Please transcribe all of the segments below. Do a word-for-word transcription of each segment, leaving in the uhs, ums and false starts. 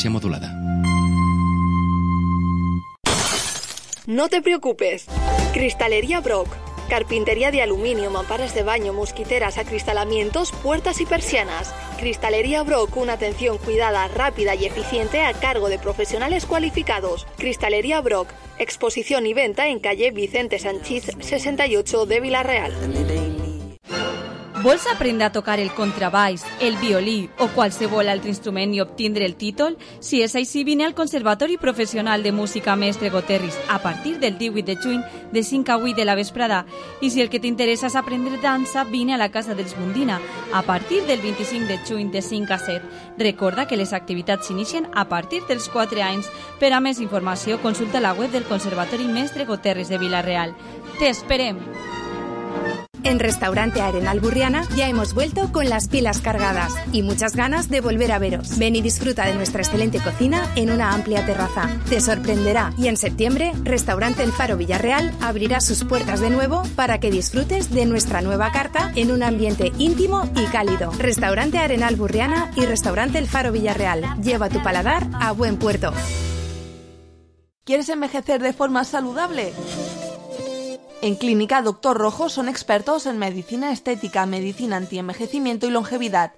modulada. No te preocupes. Cristalería Brock. Carpintería de aluminio, mamparas de baño, mosquiteras, acristalamientos, puertas y persianas. Cristalería Brock, una atención cuidada, rápida y eficiente a cargo de profesionales cualificados. Cristalería Brock, exposición y venta en calle Vicente Sanchís sesenta y ocho de Vila-real. Vols aprendre a tocar el contrabaix, el violí o qualsevol altre instrument i obtindre el títol? Si és així, vine al Conservatori Professional de Música Mestre Goterris a partir del divuit de juny de cinc a vuit de la vesprada. I si el que t'interessa és aprendre dansa, vine a la Casa dels Mundina a partir del vint-i-cinc de juny de cinc a set. Recorda que les activitats s'inicien a partir dels quatre anys. Per a més informació, consulta la web del Conservatori Mestre Goterris de Vila-real. Te esperem! En Restaurante Arenal Burriana ya hemos vuelto con las pilas cargadas y muchas ganas de volver a veros. Ven y disfruta de nuestra excelente cocina en una amplia terraza. Te sorprenderá y en septiembre, Restaurante El Faro Villarreal abrirá sus puertas de nuevo para que disfrutes de nuestra nueva carta en un ambiente íntimo y cálido. Restaurante Arenal Burriana y Restaurante El Faro Villarreal. Lleva tu paladar a buen puerto. ¿Quieres envejecer de forma saludable? En Clínica Doctor Rojo son expertos en medicina estética, medicina antienvejecimiento y longevidad.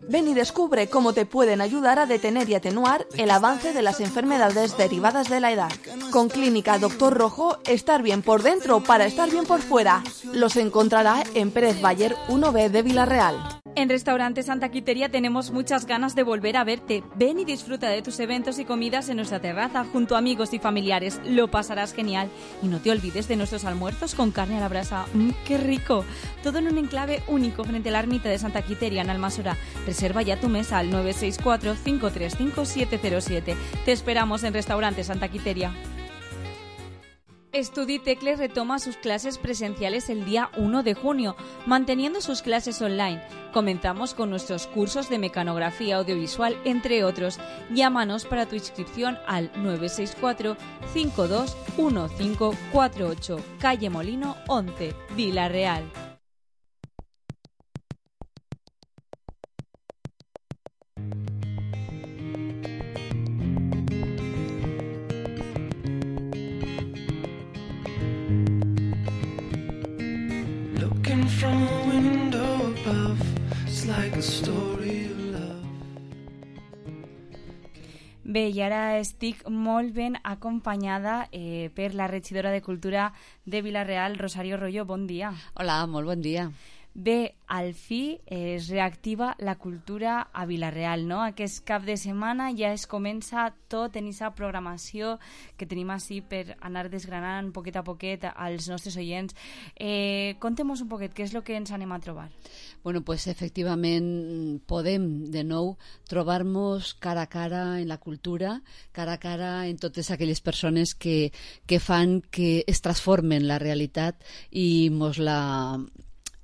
Ven y descubre cómo te pueden ayudar a detener y atenuar el avance de las enfermedades derivadas de la edad. Con Clínica Doctor Rojo, estar bien por dentro para estar bien por fuera. Los encontrará en Pérez Bayer uno B de Vila-real. En Restaurante Santa Quiteria tenemos muchas ganas de volver a verte. Ven y disfruta de tus eventos y comidas en nuestra terraza junto a amigos y familiares. Lo pasarás genial. Y no te olvides de nuestros almuerzos con carne a la brasa. ¡Mmm, qué rico! Todo en un enclave único frente a la ermita de Santa Quiteria en Almasora. Reserva ya tu mesa al nueve seis cuatro, cinco tres cinco, siete cero siete. Te esperamos en Restaurante Santa Quiteria. Estudi Tecles retoma sus clases presenciales el día uno de junio, manteniendo sus clases online. Comenzamos con nuestros cursos de mecanografía audiovisual, entre otros. Llámanos para tu inscripción al nueve seis cuatro, cinco dos uno cinco cuatro ocho, calle Molino once, Vila-real. From a window above, it's like a story of love. Bé, i ara estic molt ben acompanyada eh, per la regidora de Cultura de Vila-real, Rosario Royo. Bon dia. Hola, molt bon dia. Bé, al fi eh, es reactiva la cultura a Vila-real, no? Aquest cap de setmana ja es comença tot en aquesta programació que tenim així per anar desgranant poquet a poquet als nostres oients. Eh, Contem-nos un poquet què és el que ens anem a trobar. Bueno, pues efectivament podem de nou trobar-nos cara a cara en la cultura, cara a cara en totes aquelles persones que, que fan que es transformen la realitat i mos la...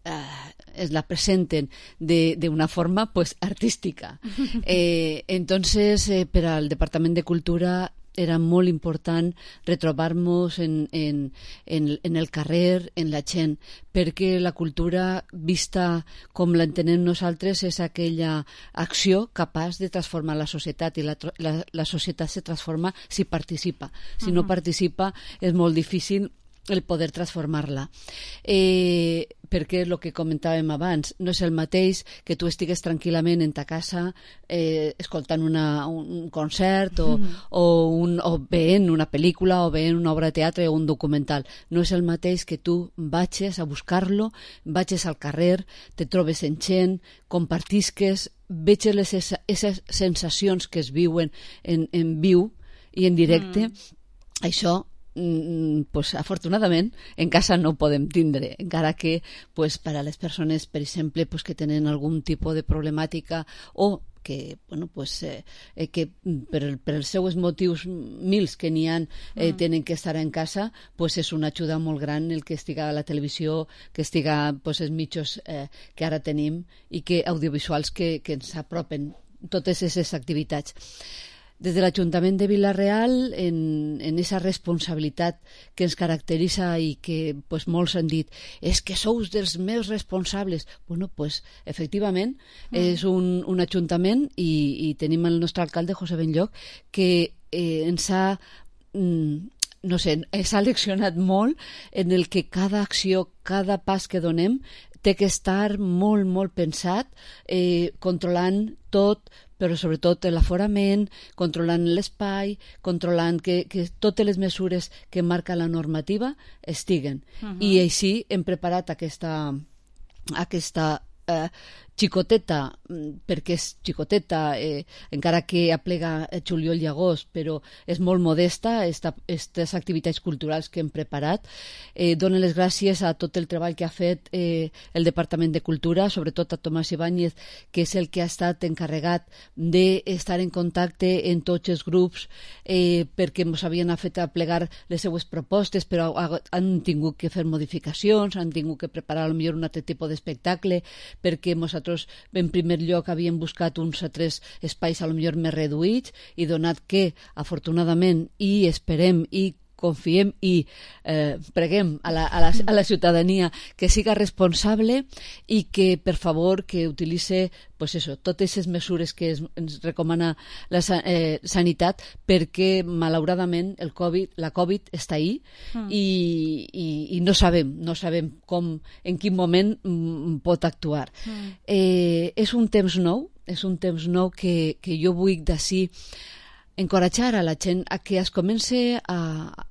Uh, es la presenten de, de una forma pues artística. Eh, entonces, eh, per al Departament de Cultura era molt important retrobar-nos en, en, en, en el carrer, en la gent, perquè la cultura, vista com l'entenem nosaltres, és aquella acció capaç de transformar la societat, i la, la, la societat se transforma si participa. Si no participa, és molt difícil el poder transformar-la. Eh, perquè el que comentàvem abans, no és el mateix que tu estigues tranquil·lament en ta casa eh, escoltant una, un concert o, mm. o, un, o veient una pel·lícula o veient una obra de teatre o un documental. No és el mateix que tu vagis a buscar-lo, vagis al carrer, te trobes en gent, compartisques, veges les esses sensacions que es viuen en, en viu i en directe. Mm. Això pues afortunadament en casa no ho podem tindre, encara que pues, per a les persones, per exemple, pues, que tenen algun tipus de problemàtica o que, bueno, pues, eh, que per, per els seus motius mils que n'hi ha eh, mm. tenen que estar en casa, pues, és una ajuda molt gran el que estiga a la televisió, que estiga pues, els mitjos eh, que ara tenim i que audiovisuals que, que ens apropen totes aquestes activitats. des de l'Ajuntament de Vila-real, en, en esa responsabilitat que ens caracteritza i que pues, molts han dit, és que sous dels meus responsables. Bueno, pues, efectivament, mm. és un, un ajuntament i, i tenim el nostre alcalde, José Benlloch, que eh, ens ha... Mm, no sé, s'ha leccionat molt en el que cada acció, cada pas que donem té que estar molt, molt pensat, eh, controlant tot, però sobretot l'aforament, controlant l'espai, controlant que, que totes les mesures que marca la normativa estiguen. Uh-huh. I així hem preparat aquesta, aquesta eh, xicoteta, perquè és xicoteta, eh, encara que aplega juliol i agost, però és molt modesta, aquestes activitats culturals que hem preparat. Eh, donen les gràcies a tot el treball que ha fet eh, el Departament de Cultura, sobretot a Tomàs Ibáñez, que és el que ha estat encarregat d'estar en contacte en tots els grups, eh, perquè ens havien fet aplegar les seues propostes, però han tingut que fer modificacions, han tingut que preparar potser un altre tipus d'espectacle, perquè nosaltres en primer lloc havíem buscat uns altres espais a lo millor més reduïts i donat que, afortunadament, i esperem i confiem i eh, preguem a la, a, la, a la ciutadania que siga responsable i que, per favor, que utilitze pues eso, totes les mesures que es, ens recomana la eh, sanitat, perquè, malauradament, el COVID, la Covid està ahí mm. i, i, i no sabem, no sabem com, en quin moment mm, pot actuar. Mm. Eh, és un temps nou, és un temps nou que, que jo vull d'ací encoratjar a la gent a que es, comence a,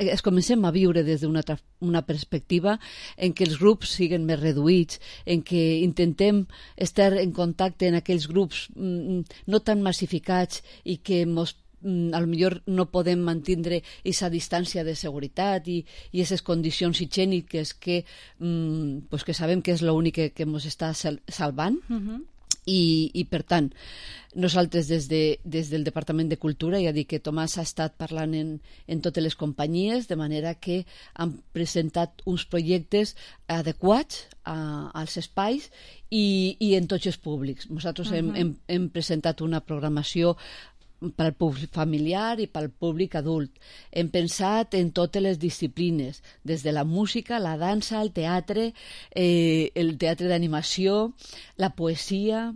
es comencem a viure des d'una una perspectiva en què els grups siguin més reduïts, en què intentem estar en contacte en aquells grups mm, no tan massificats i que mos a lo millor no podem mantindre aquesta distància de seguretat i aquestes condicions higièniques que, mm, pues que sabem que és l'únic que, que ens està salvant. Uh-huh. I, i per tant, nosaltres des, de, des del Departament de Cultura, ja dic que Tomàs ha estat parlant en, en totes les companyies, de manera que han presentat uns projectes adequats a, als espais i, i en tots els públics. Nosaltres uh-huh. hem, hem, hem presentat una programació pel públic familiar i pel públic adult. Hem pensat en totes les disciplines, des de la música, la dansa, el teatre, eh, el teatre d'animació, la poesia.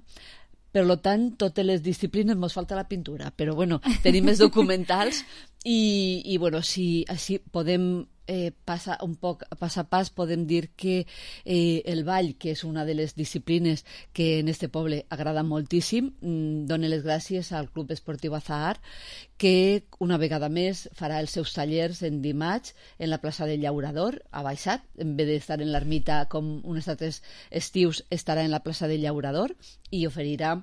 Per tant, totes les disciplines, ens falta la pintura, però bueno, tenim els documentals i, i bueno, si així podem eh, passar un poc pas a pas, podem dir que eh, el ball, que és una de les disciplines que en este poble agrada moltíssim, mm, dona les gràcies al Club Esportiu Azahar, que una vegada més farà els seus tallers en dimarts en la plaça del Llaurador, a Baixat, en vez d'estar en l'ermita com uns altres estius, estarà en la plaça del Llaurador i oferirà,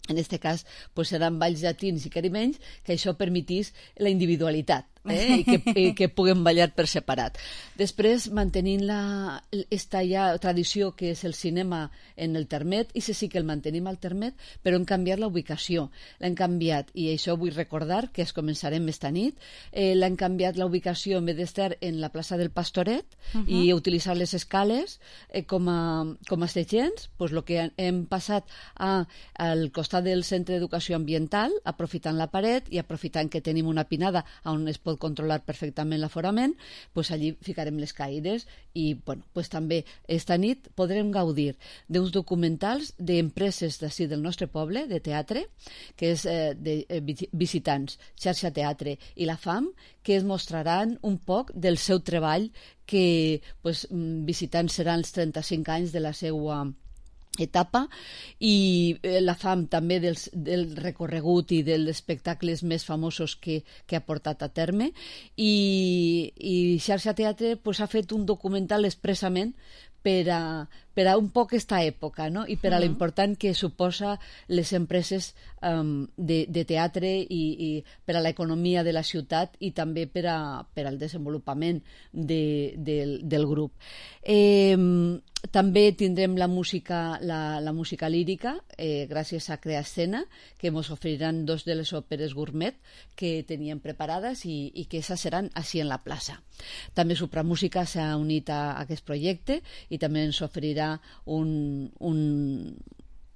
en aquest cas, pues seran balls llatins i caribenys, que això permetís la individualitat. Eh? I, que, i que puguem ballar per separat. Després, mantenint la, esta ja tradició que és el cinema en el Termet, i sí que el mantenim al Termet, però hem canviat la ubicació. L'hem canviat, i això vull recordar que es començarem esta nit, eh, l'hem canviat la ubicació, en vez d'estar en la plaça del Pastoret uh-huh. i utilitzar les escales eh, com, a, com a segells, pues lo que hem passat a, al costat del Centre d'Educació Ambiental, aprofitant la paret i aprofitant que tenim una pinada on es pot pot controlar perfectament l'aforament, pues allí ficarem les caires i bueno, pues també esta nit podrem gaudir d'uns documentals d'empreses d'ací del nostre poble, de teatre, que és eh, de eh, visitants, xarxa teatre i la FAM, que es mostraran un poc del seu treball, que pues, visitants seran els trenta-cinc anys de la seva etapa, i la FAM també del, del recorregut i dels espectacles més famosos que, que ha portat a terme, i, i Xarxa Teatre pues, ha fet un documental expressament per a, per a un poc aquesta època, no? I per a uh-huh. l'important que suposa les empreses um, de, de teatre i, i per a l'economia de la ciutat i també per, a, per al desenvolupament de, del, del grup. Eh, també tindrem la música, la, la música lírica, eh, gràcies a Creascena, que ens oferiran dos de les òperes gourmet que teníem preparades i, i que esas seran així en la plaça. També Supramúsica s'ha unit a, a aquest projecte i també ens oferirà un, un,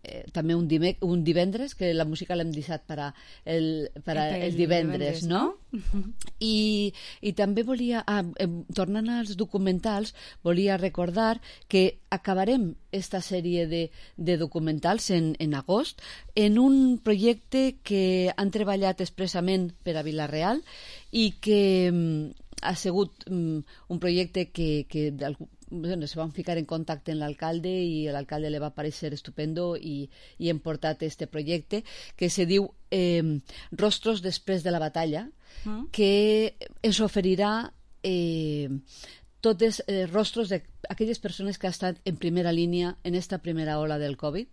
eh, també un, dime, un divendres, que la música l'hem deixat per a el, per a el, el divendres, divendres, no? no? I, I també volia, ah, eh, tornant als documentals, volia recordar que acabarem esta sèrie de, de documentals en, en agost en un projecte que han treballat expressament per a Vila-real i que mm, ha sigut mm, un projecte que, que bueno, se van ficar en contacte amb l'alcalde i l'alcalde li va parecer estupendo i, i hem portat este projecte que se diu eh, Rostros després de la batalla, mm. que ens oferirà eh, tots els rostros d'aquelles persones que han estat en primera línia en esta primera ola del Covid,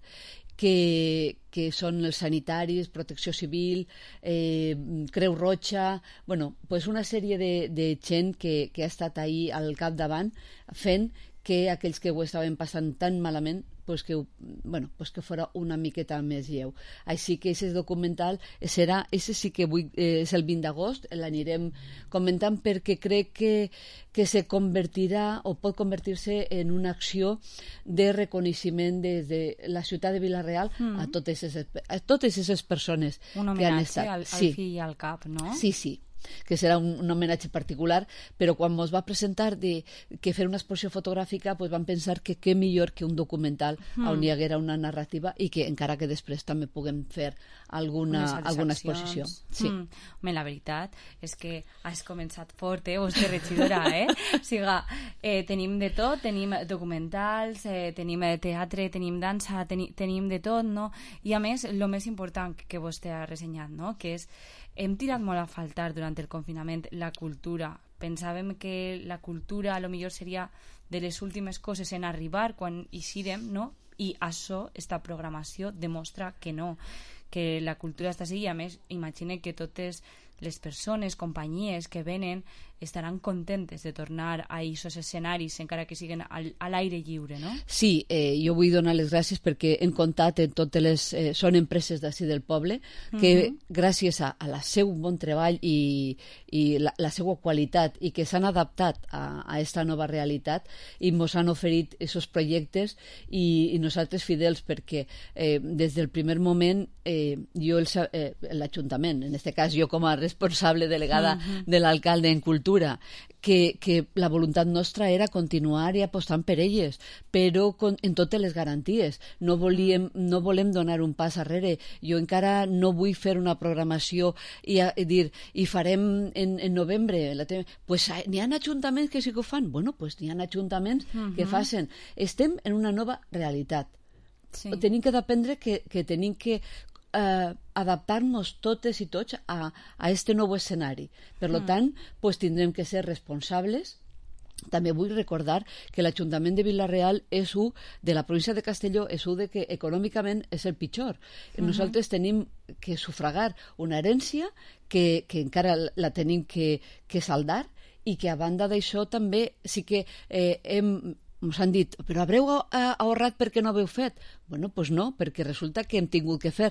que, que són els sanitaris, Protecció Civil, eh, Creu Roja, bueno, pues una sèrie de, de gent que, que ha estat ahí al capdavant fent que aquells que ho estaven passant tan malament pues que, bueno, pues que fora una miqueta més lleu. Així que aquest documental serà, ese sí que vull, eh, és el vint d'agost, l'anirem comentant perquè crec que, que se convertirà o pot convertir-se en una acció de reconeixement des de la ciutat de Vila-real mm. a totes aquestes persones un que han homenatge estat. al, al sí. fill i al cap, no? Sí, sí, que serà un, un homenatge particular, però quan ens va presentar de, que fer una exposició fotogràfica pues vam pensar que què millor que un documental mm. on hi haguera una narrativa i que encara que després també puguem fer alguna, alguna exposició. Sí. Mm. Home, la veritat és que has començat fort, eh, vostra regidora, eh? O sigui, eh, tenim de tot, tenim documentals, eh, tenim teatre, tenim dansa, teni, tenim de tot, no? I a més, el més important que vostè ha ressenyat, no? Que és hem tirat molt a faltar durant el confinament la cultura. Pensàvem que la cultura a lo millor seria de les últimes coses en arribar quan hi siguem, no? I això, esta programació, demostra que no, que la cultura està així i a més imagine que totes les persones, companyies que venen estaran contentes de tornar a aquests escenaris encara que siguin al, a l'aire lliure, no? Sí, eh, jo vull donar les gràcies perquè hem comptat en totes les... Eh, són empreses d'ací del poble que uh-huh. gràcies a, a la seu bon treball i, i la, la seva qualitat i que s'han adaptat a, a esta nova realitat i ens han oferit aquests projectes i, i nosaltres fidels perquè eh, des del primer moment eh, jo el, eh, l'Ajuntament, en aquest cas jo com a responsable delegada uh-huh. de l'alcalde en cultura, que, que la voluntat nostra era continuar i apostant per elles, però con, en totes les garanties. No, volíem, no volem donar un pas arrere. Jo encara no vull fer una programació i, a, i dir, i farem en, en novembre. La te... pues n'hi ha ajuntaments que sí que ho fan. Bueno, pues n'hi ha ajuntaments uh-huh. que facin. Estem en una nova realitat. Sí. Tenim que dependre que, que tenim que Uh, adaptar-nos totes i tots a, a este nou escenari. Per mm. tant, pues, tindrem que ser responsables. També vull recordar que l'Ajuntament de Vila-real és un de la província de Castelló, és un de que econòmicament és el pitjor. Mm-hmm. Nosaltres tenim que sufragar una herència que, que encara la tenim que, que saldar i que a banda d'això també sí que eh, hem ens han dit, però haureu ahorrat perquè no haveu fet? Bueno, doncs no, perquè resulta que hem tingut que fer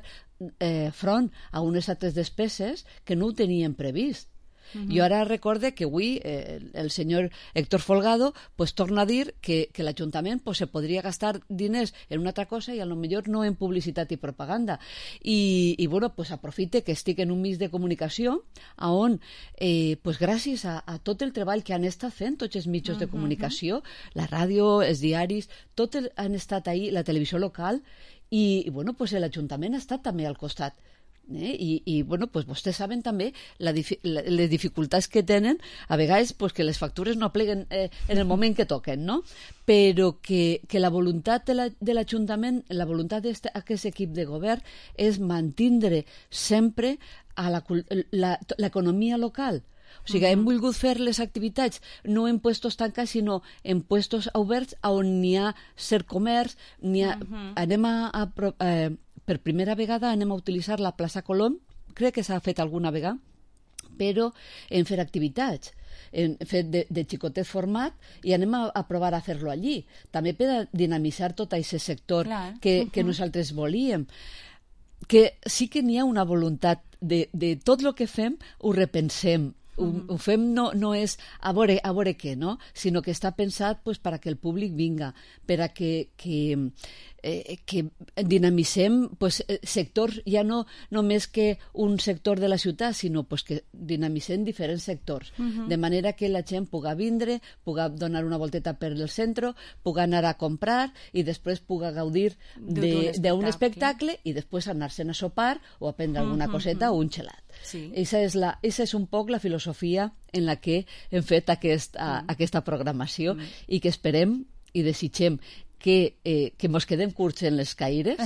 eh, front a unes altres despeses que no ho teníem previst. Uh-huh. Jo ara recorde que avui eh, el senyor Héctor Folgado pues, torna a dir que, que l'Ajuntament pues, se podria gastar diners en una altra cosa i a lo millor no en publicitat i propaganda. I, i bueno, pues, aprofite que estic en un mig de comunicació on, eh, pues, gràcies a, a tot el treball que han estat fent tots els mitjans uh-huh. de comunicació, la ràdio, els diaris, tot el, han estat ahí, la televisió local, i, i bueno, pues, l'Ajuntament ha estat també al costat. Eh? I, i bueno, pues vostès saben també la, la, les dificultats que tenen a vegades pues, que les factures no pleguen eh, en el moment que toquen, no? Però que, que la voluntat de, la, de l'Ajuntament, la voluntat d'aquest equip de govern és mantindre sempre a la, la, l'economia local. O sigui, uh-huh. hem volgut fer les activitats no en puestos tancats, sinó en puestos oberts on n'hi ha cert comerç, n'hi ha... Uh-huh. Anem a... a eh, per primera vegada anem a utilitzar la plaça Colom, crec que s'ha fet alguna vegada, però en fer activitats, en fer de, de xicotet format, i anem a, a provar a fer-lo allí. També per a dinamitzar tot aquest sector Clar. que, que uh-huh. nosaltres volíem. Que sí que n'hi ha una voluntat de, de tot el que fem ho repensem, ho, ho fem no, no és a veure, a veure què, no? Sinó que està pensat pues, per a que el públic vinga, per a que, que, eh, que dinamicem pues, sectors, ja no només que un sector de la ciutat, sinó pues, que dinamicem diferents sectors, uh-huh. de manera que la gent puga vindre, puga donar una volteta per el centre, puga anar a comprar i després puga gaudir d'un espectacle i després anar-se'n a sopar o a prendre alguna uh-huh. coseta o un gelat. Sí. Esa és la, esa és un poc la filosofia en la que hem fet aquest, a, mm. aquesta programació mm. i que esperem i desitgem que, eh, que mos quedem curts en les caires,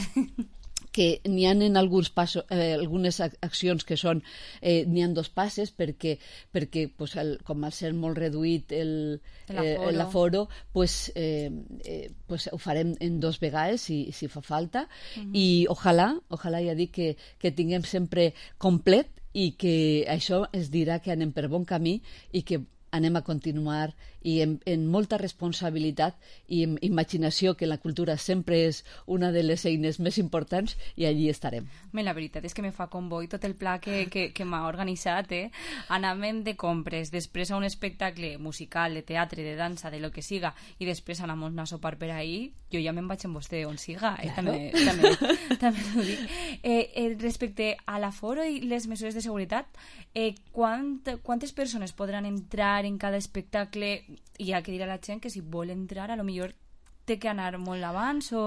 que n'hi ha en alguns passos, eh, algunes accions que són, eh, n'hi ha dos passes perquè, perquè pues, el, com al ser molt reduït el, eh, l'aforo, pues, eh, eh, pues, ho farem en dos vegades si, si fa falta uh-huh. i ojalà, ojalà ja dic que, que tinguem sempre complet i que això es dirà que anem per bon camí i que anem a continuar i en, en molta responsabilitat i en imaginació, que la cultura sempre és una de les eines més importants, i allí estarem. Bé, la veritat és que me fa com bo i tot el pla que, que, que m'ha organitzat, eh? Anàvem de compres, després a un espectacle musical, de teatre, de dansa, de lo que siga, i després anàvem a sopar per ahí, jo ja me'n vaig amb vostè on siga, eh? Claro. També, també, també ho dic. Eh, eh, respecte a l'aforo i les mesures de seguretat, eh, quant, quantes persones podran entrar en cada espectacle? I ha que dir a la gent que si vol entrar a lo millor té que anar molt abans o...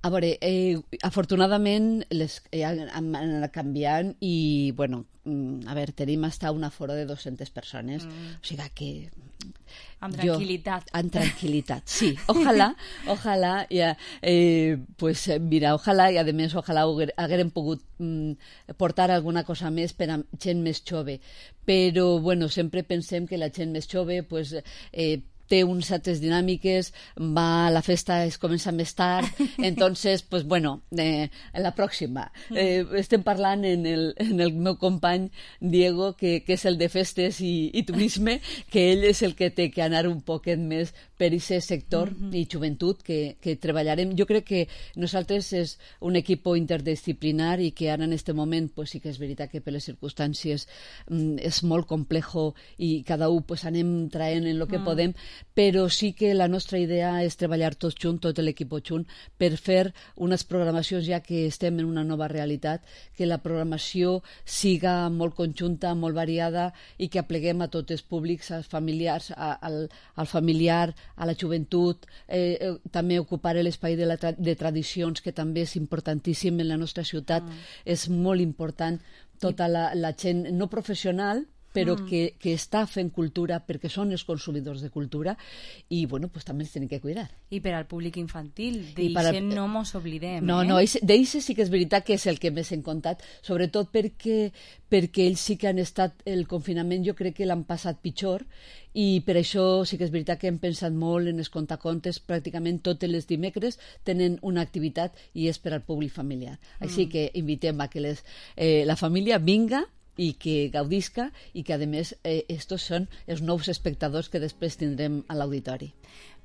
A veure, eh, afortunadament les eh, han, han anat canviant i, bueno, a veure, tenim hasta un aforo de dues-centes persones, mm. o sigui que... Amb tranquil·litat. Jo, amb tranquil·litat, sí. Ojalà, ojalà, ja, eh, pues mira, ojalà, i a més, ojalà haguérem pogut mm, portar alguna cosa més per a gent més jove. Però, bueno, sempre pensem que la gent més jove, pues, eh, té unes altres dinàmiques, va a la festa, es comença més tard, entonces, pues bueno, eh, la pròxima. Eh, estem parlant en el, en el meu company Diego, que, que és el de festes i, i turisme, que ell és el que té que anar un poquet més per aquest sector mm-hmm. i joventut que, que treballarem. Jo crec que nosaltres és un equip interdisciplinar i que ara en aquest moment pues, sí que és veritat que per les circumstàncies mm, és molt complejo i cada un pues, anem traient en el que mm. podem, però sí que la nostra idea és treballar tots junts, tot l'equip junt, per fer unes programacions, ja que estem en una nova realitat, que la programació siga molt conjunta, molt variada i que apleguem a tots els públics, als familiars, a, al, al familiar, a la joventut, eh, eh, també ocupar l'espai de, la tra de tradicions, que també és importantíssim en la nostra ciutat, mm. és molt important tota la, la gent no professional, però mm. que, que està fent cultura perquè són els consumidors de cultura i, bueno, pues també els tenen que cuidar. I per al públic infantil, d'eixe el... no mos oblidem. No, eh? no, d'eixe sí que és veritat que és el que més hem contat, sobretot perquè, perquè ells sí que han estat, el confinament jo crec que l'han passat pitjor i per això sí que és veritat que hem pensat molt en els contacontes, pràcticament totes les dimecres tenen una activitat i és per al públic familiar. Mm. Així que invitem a que les, eh, la família vinga i que gaudisca i que a més eh, estos són els nous espectadors que després tindrem a l'auditori.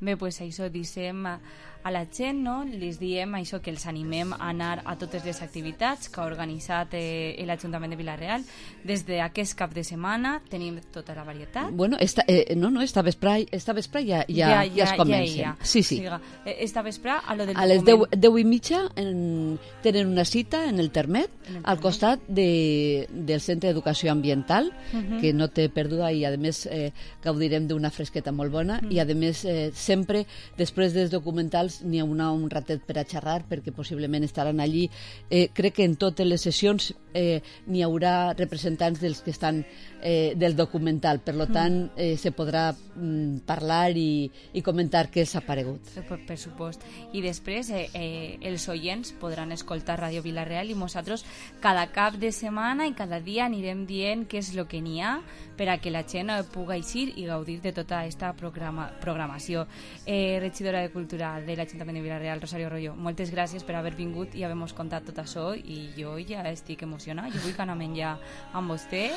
Bé, doncs això dissem a, a la gent, no? Les diem això, que els animem a anar a totes les activitats que ha organitzat eh, l'Ajuntament de Vila-real. Des d'aquest cap de setmana tenim tota la varietat. Bueno, esta, eh, no, no, esta vespre, esta vespre ja, ja, ja, ja, ja es comencen. Ja, ja. Sí, sí. Siga, esta vespre, a lo del a les deu, deu i mitja en, tenen una cita en el Termet, en el al costat de, del Centre d'Educació Ambiental, uh-huh. que no té perduda i, a més, eh, gaudirem d'una fresqueta molt bona uh-huh. i, a més, eh, sempre, després dels documentals, n'hi haurà un ratet per a xerrar, perquè possiblement estaran allí. Eh, crec que en totes les sessions eh, n'hi haurà representants dels que estan eh, del documental, per tant, eh, se podrà mm, parlar i, i comentar què els ha paregut. Per, per supost. I després, eh, eh, els oients podran escoltar Ràdio Vila-real i nosaltres cada cap de setmana i cada dia anirem dient què és el que n'hi ha per a que la gent pugui eixir i gaudir de tota aquesta programa, programació. Eh, regidora de Cultura de l'Ajuntament de Vila-real, Rosario Royo, moltes gràcies per haver vingut i haver-nos contat tot això i jo ja estic emocionada. Jo vull que anem ja amb vostè,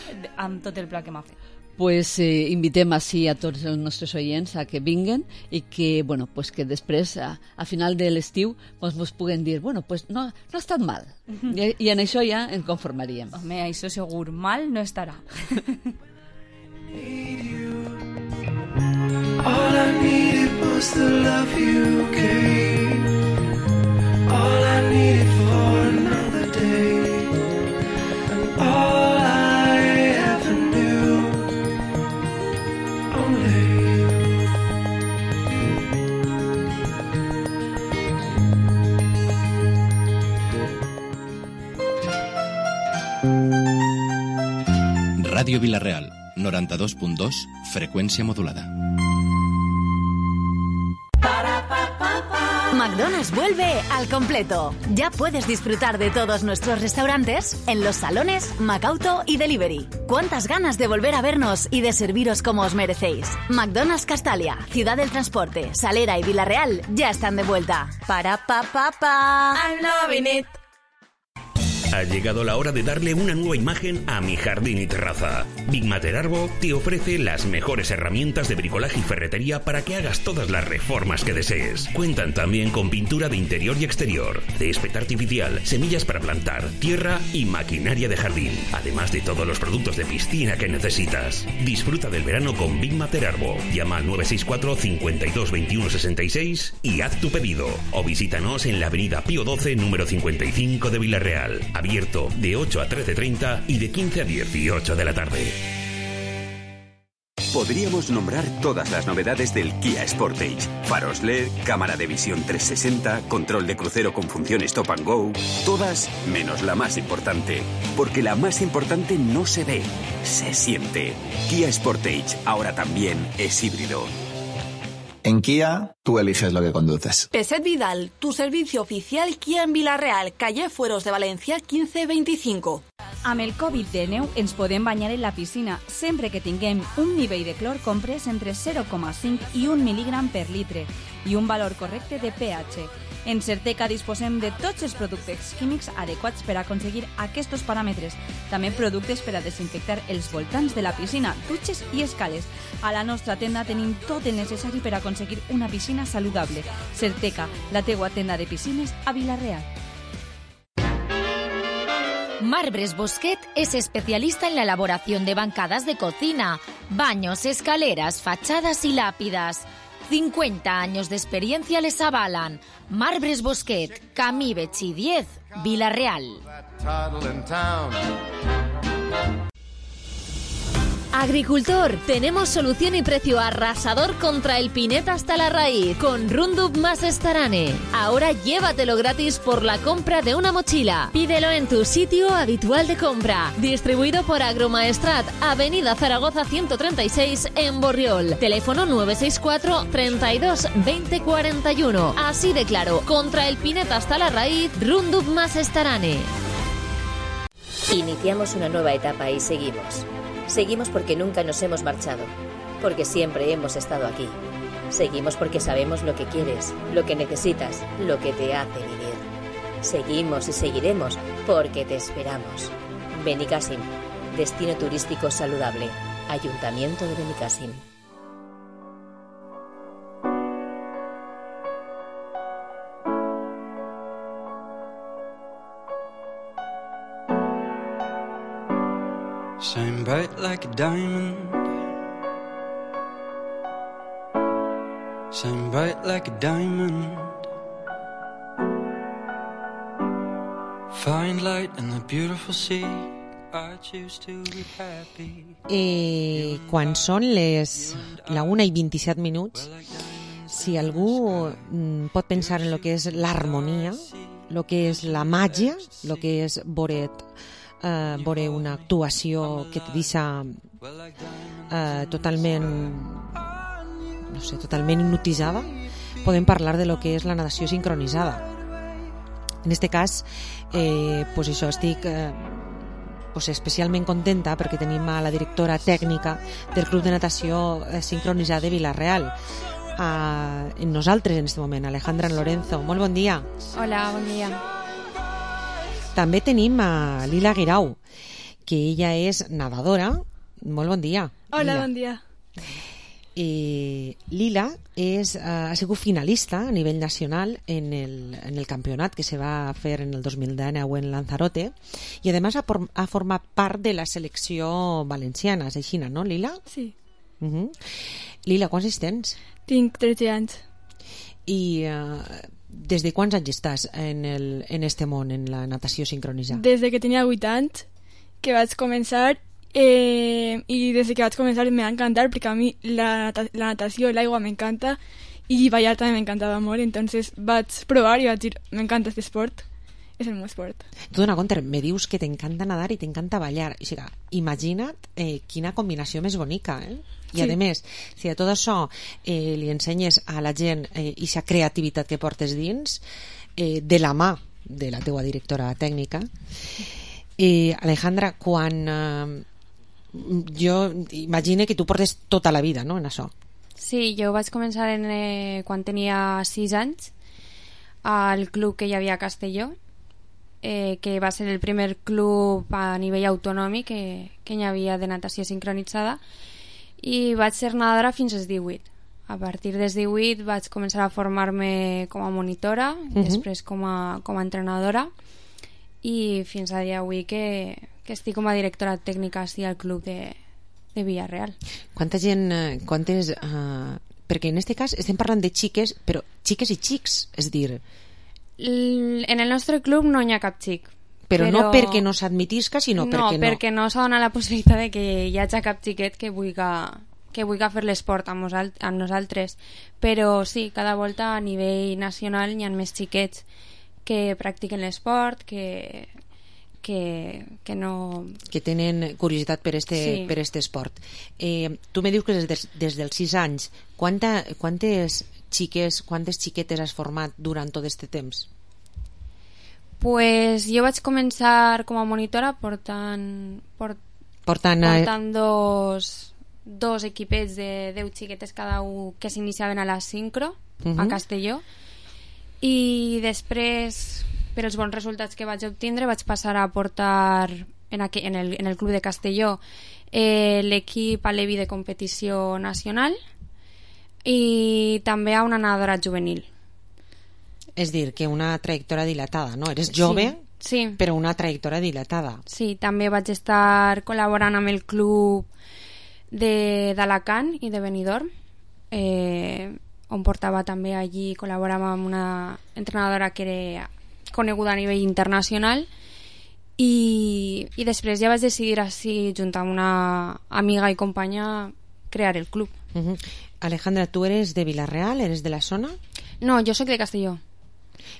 amb tot el pla que m'ha fet. Pues eh, invitem així a tots els nostres oients a que vinguen i que, bueno, pues que després, a, a final de l'estiu, pues, mos puguen dir, bueno, pues no, no ha estat mal. I, I en això ja ens conformaríem. Home, això segur, mal no estarà. was the love you gave, all I needed for another day, and all I ever knew, only you. Ràdio Vila-real, noranta-dos punt dos, freqüència modulada. McDonald's vuelve al completo. Ya puedes disfrutar de todos nuestros restaurantes en los salones, Macauto y Delivery. ¿Cuántas ganas de volver a vernos y de serviros como os merecéis? McDonald's Castalia, Ciudad del Transporte, Salera y Vila-real ya están de vuelta. Para pa pa pa. I'm loving it. Ha llegado la hora de darle una nueva imagen a mi jardín y terraza. Big Matter Arbo te ofrece las mejores herramientas de bricolaje y ferretería para que hagas todas las reformas que desees. Cuentan también con pintura de interior y exterior, césped artificial, semillas para plantar, tierra y maquinaria de jardín, además de todos los productos de piscina que necesitas. Disfruta del verano con Big Matter Arbo. Llama al nueve seis cuatro, cincuenta y dos, veintiuno, sesenta y seis y haz tu pedido. O visítanos en la avenida Pío doce, número cincuenta y cinco de Vila-real. Abierto de ocho a trece treinta y de quince a dieciocho de la tarde. Podríamos nombrar todas las novedades del Kia Sportage. Faros L E D, cámara de visión trescientos sesenta, control de crucero con función Stop and Go. Todas menos la más importante. Porque la más importante no se ve, se siente. Kia Sportage ahora también es híbrido. En Kia, tú eliges lo que conduces. Peset Vidal, tu servicio oficial Kia en Vila-real, calle Fueros de Valencia quinze veinticinco. Amb el covid diecinueve ens podem banyar en la piscina sempre que tinguem un nivell de clor comprès entre zero coma cinc i un mil·ligram per litre i un valor correcte de pH. En Certeca disposem de tots els productes químics adequats per aconseguir aquests paràmetres. També productes per a desinfectar els voltants de la piscina, dutxes i escales. A la nostra tenda tenim tot el necessari per aconseguir una piscina saludable. Certeca, la teua tenda de piscines a Vila-real. Marbres Bosquet es especialista en la elaboración de bancadas de cocina, baños, escaleras, fachadas y lápidas. cincuenta años de experiencia les avalan. Marbres Bosquet, Camí Betxí diez, Vila-real. Agricultor, tenemos solución y precio arrasador contra el pineta hasta la raíz con Roundup más Starane. Ahora llévatelo gratis por la compra de una mochila. Pídelo en tu sitio habitual de compra. Distribuido por Agromaestrat, Avenida Zaragoza ciento treinta y seis en Borriol. Teléfono nueve seis cuatro, treinta y dos, veinte cuarenta y uno. Así de claro, contra el pineta hasta la raíz, Roundup más Starane. Iniciamos una nueva etapa y seguimos. Seguimos porque nunca nos hemos marchado, porque siempre hemos estado aquí. Seguimos porque sabemos lo que quieres, lo que necesitas, lo que te hace vivir. Seguimos y seguiremos porque te esperamos. Benicàssim, destino turístico saludable. Ayuntamiento de Benicàssim. Shine bright like a diamond. Shine bright like a diamond. Find light in the beautiful sea. I choose to be happy. Eh, quan són les la una i vint-i-set minuts, si algú mm, pot pensar en lo que és l'harmonia, lo que és la màgia, lo que és boret Uh, veure una actuació que te deixa uh, totalment no sé, totalment hipnotitzada, podem parlar de lo que és la natació sincronitzada. En este cas eh, pues això, estic eh, pues especialment contenta perquè tenim a la directora tècnica del Club de Natació eh, Sincronitzada de Vila-real uh, en nosaltres en este moment, Alejandra Lorenzo. Molt bon dia. Hola, bon dia. També tenim a Lila Guirau, que ella és nadadora. Molt bon dia. Hola, Lila. bon dia. Eh, Lila és, eh, ha sigut finalista a nivell nacional en el, en el campionat que se va fer en el dos mil dinou en Lanzarote i a més ha, ha format part de la selecció valenciana, és així, no, Lila? Sí. Uh-huh. Lila, quants anys tens? Tinc tretze anys. I uh, des de quants anys estàs en, el, en este món, en la natació sincronitzada? Des de que tenia vuit anys, que vaig començar, eh, i des de que vaig començar m'ha encantat, perquè a mi la, la natació i l'aigua m'encanta, i ballar també m'encantava molt, entonces vaig provar i vaig dir, m'encanta aquest esport, és el meu esport. Tu, dona compte, me dius que t'encanta nadar i t'encanta ballar. O sigui, imagina't eh, quina combinació més bonica, eh? I sí. A més, si a tot això eh, li ensenyes a la gent eh, aquesta creativitat que portes dins, eh, de la mà de la teua directora tècnica, eh, Alejandra, quan eh, jo imagine que tu portes tota la vida, no?, en això. Sí, jo vaig començar en, eh, quan tenia sis anys al club que hi havia a Castelló, eh, que va ser el primer club a nivell autonòmic que, que hi havia de natació sincronitzada, i vaig ser nedadora fins als divuit. A partir dels divuit vaig començar a formar-me com a monitora, uh-huh. després com a, com a entrenadora, i fins a dia d'avui que, que estic com a directora tècnica sí, al club de, de Villarreal. Quanta gent, quantes... Uh, perquè en aquest cas estem parlant de xiques, però xiques i xics, és dir... L, en el nostre club no hi ha cap xic. Però, però no perquè no s'admitisca, sinó no, perquè no... No, perquè no s'ha donat la possibilitat de que hi hagi cap xiquet que vulgui, que vulgui fer l'esport amb, nosal amb nosaltres. Però sí, cada volta a nivell nacional hi ha més xiquets que practiquen l'esport, que, que, que no... Que tenen curiositat per este, sí. per este esport. Eh, tu me dius que des, des, des dels sis anys, quanta, quantes xiques, quantes xiquetes has format durant tot este temps? Pues jo vaig començar com a monitora portant, port, portant, portant dos, dos equipets de deu xiquetes cada un que s'iniciaven a la sincro, uh-huh. a Castelló, i després, per els bons resultats que vaig obtindre, vaig passar a portar en, aqu en, el, en el club de Castelló eh, l'equip a l'E V I de competició nacional i també a una nedadora juvenil. És dir, que una trajectòria dilatada, no? Eres jove, sí, sí. però una trajectòria dilatada. Sí, també vaig estar col·laborant amb el club d'Alacant i de Benidorm, eh, on portava també allí, col·laborava amb una entrenadora que era coneguda a nivell internacional, i, i després ja vaig decidir així, junt amb una amiga i companya, crear el club. Uh-huh. Alejandra, tu eres de Vila-real? Eres de la zona? No, jo soc de Castelló.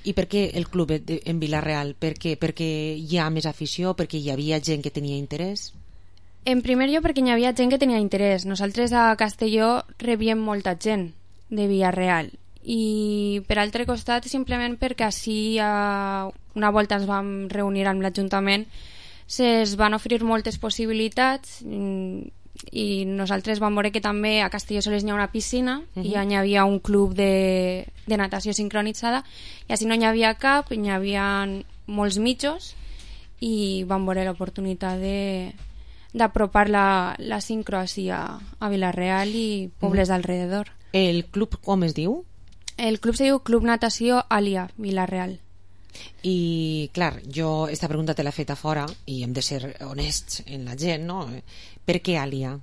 I per què el club en Vila-real? Per què? Perquè hi ha més afició? Perquè hi havia gent que tenia interès? En primer lloc perquè hi havia gent que tenia interès. Nosaltres a Castelló rebíem molta gent de Vila-real, i per altre costat simplement perquè així una volta ens vam reunir amb l'Ajuntament, se'ns van oferir moltes possibilitats, i nosaltres vam veure que també a Castelló sols hi ha una piscina, uh-huh. i hi havia un club de, de natació sincronitzada, i així no hi havia cap, hi havia molts mitjos, i vam veure l'oportunitat de d'apropar la, la sincro així a, a Vila-real i pobles uh-huh. d'alrededor. El club com es diu? El club se diu Club Natació Alia, Vila-real. I, clar, jo esta pregunta te l'he fet a fora i hem de ser honests en la gent, no? Per què Alia?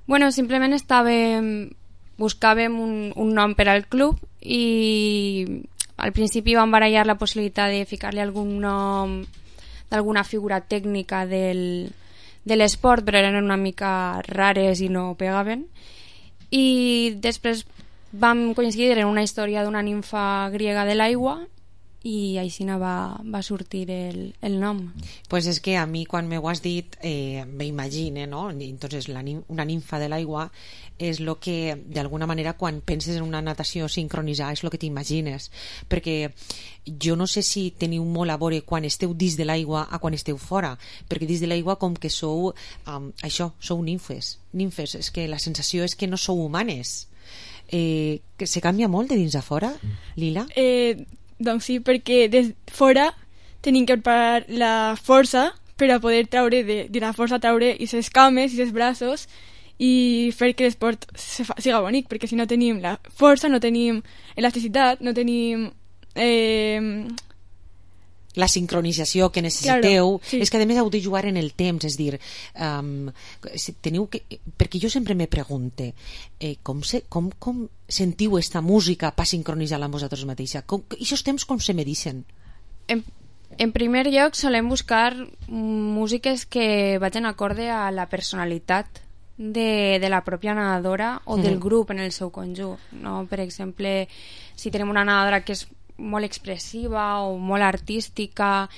Bueno, simplement estàvem... buscàvem un, un nom per al club, i al principi vam barallar la possibilitat de ficar-li algun nom d'alguna figura tècnica del, de l'esport, però eren una mica rares i no pegaven. I després vam coincidir en una història d'una ninfa griega de l'aigua, i així va, va sortir el, el nom. Pues és que a mi quan m'ho has dit eh, me imagine, no? Entonces la, una ninfa de l'aigua és el que d'alguna manera quan penses en una natació sincronitzada és el que t'imagines, perquè jo no sé si teniu molt a veure quan esteu dins de l'aigua a quan esteu fora, perquè dins de l'aigua com que sou um, això, sou nimfes nimfes, és que la sensació és que no sou humanes. Eh, que se canvia molt de dins a fora, Lila? Eh, doncs sí, perquè des fora tenim que preparar la força per a poder treure de, de la força treure i ses cames i ses braços i fer que l'esport siga bonic, perquè si no tenim la força, no tenim elasticitat, no tenim eh, la sincronització que necessiteu, claro, sí. és que a més heu de jugar en el temps, és dir, um, si teniu que, perquè jo sempre me pregunte eh, com, se, com, com sentiu esta música per sincronitzar-la amb vosaltres mateixa, com, i aquests temps com se medicen? En, en primer lloc solem buscar músiques que vagin acorde a la personalitat de, de la pròpia nedadora o mm. del grup en el seu conjunt, no? Per exemple, si tenim una nedadora que és molt expressiva o molt artística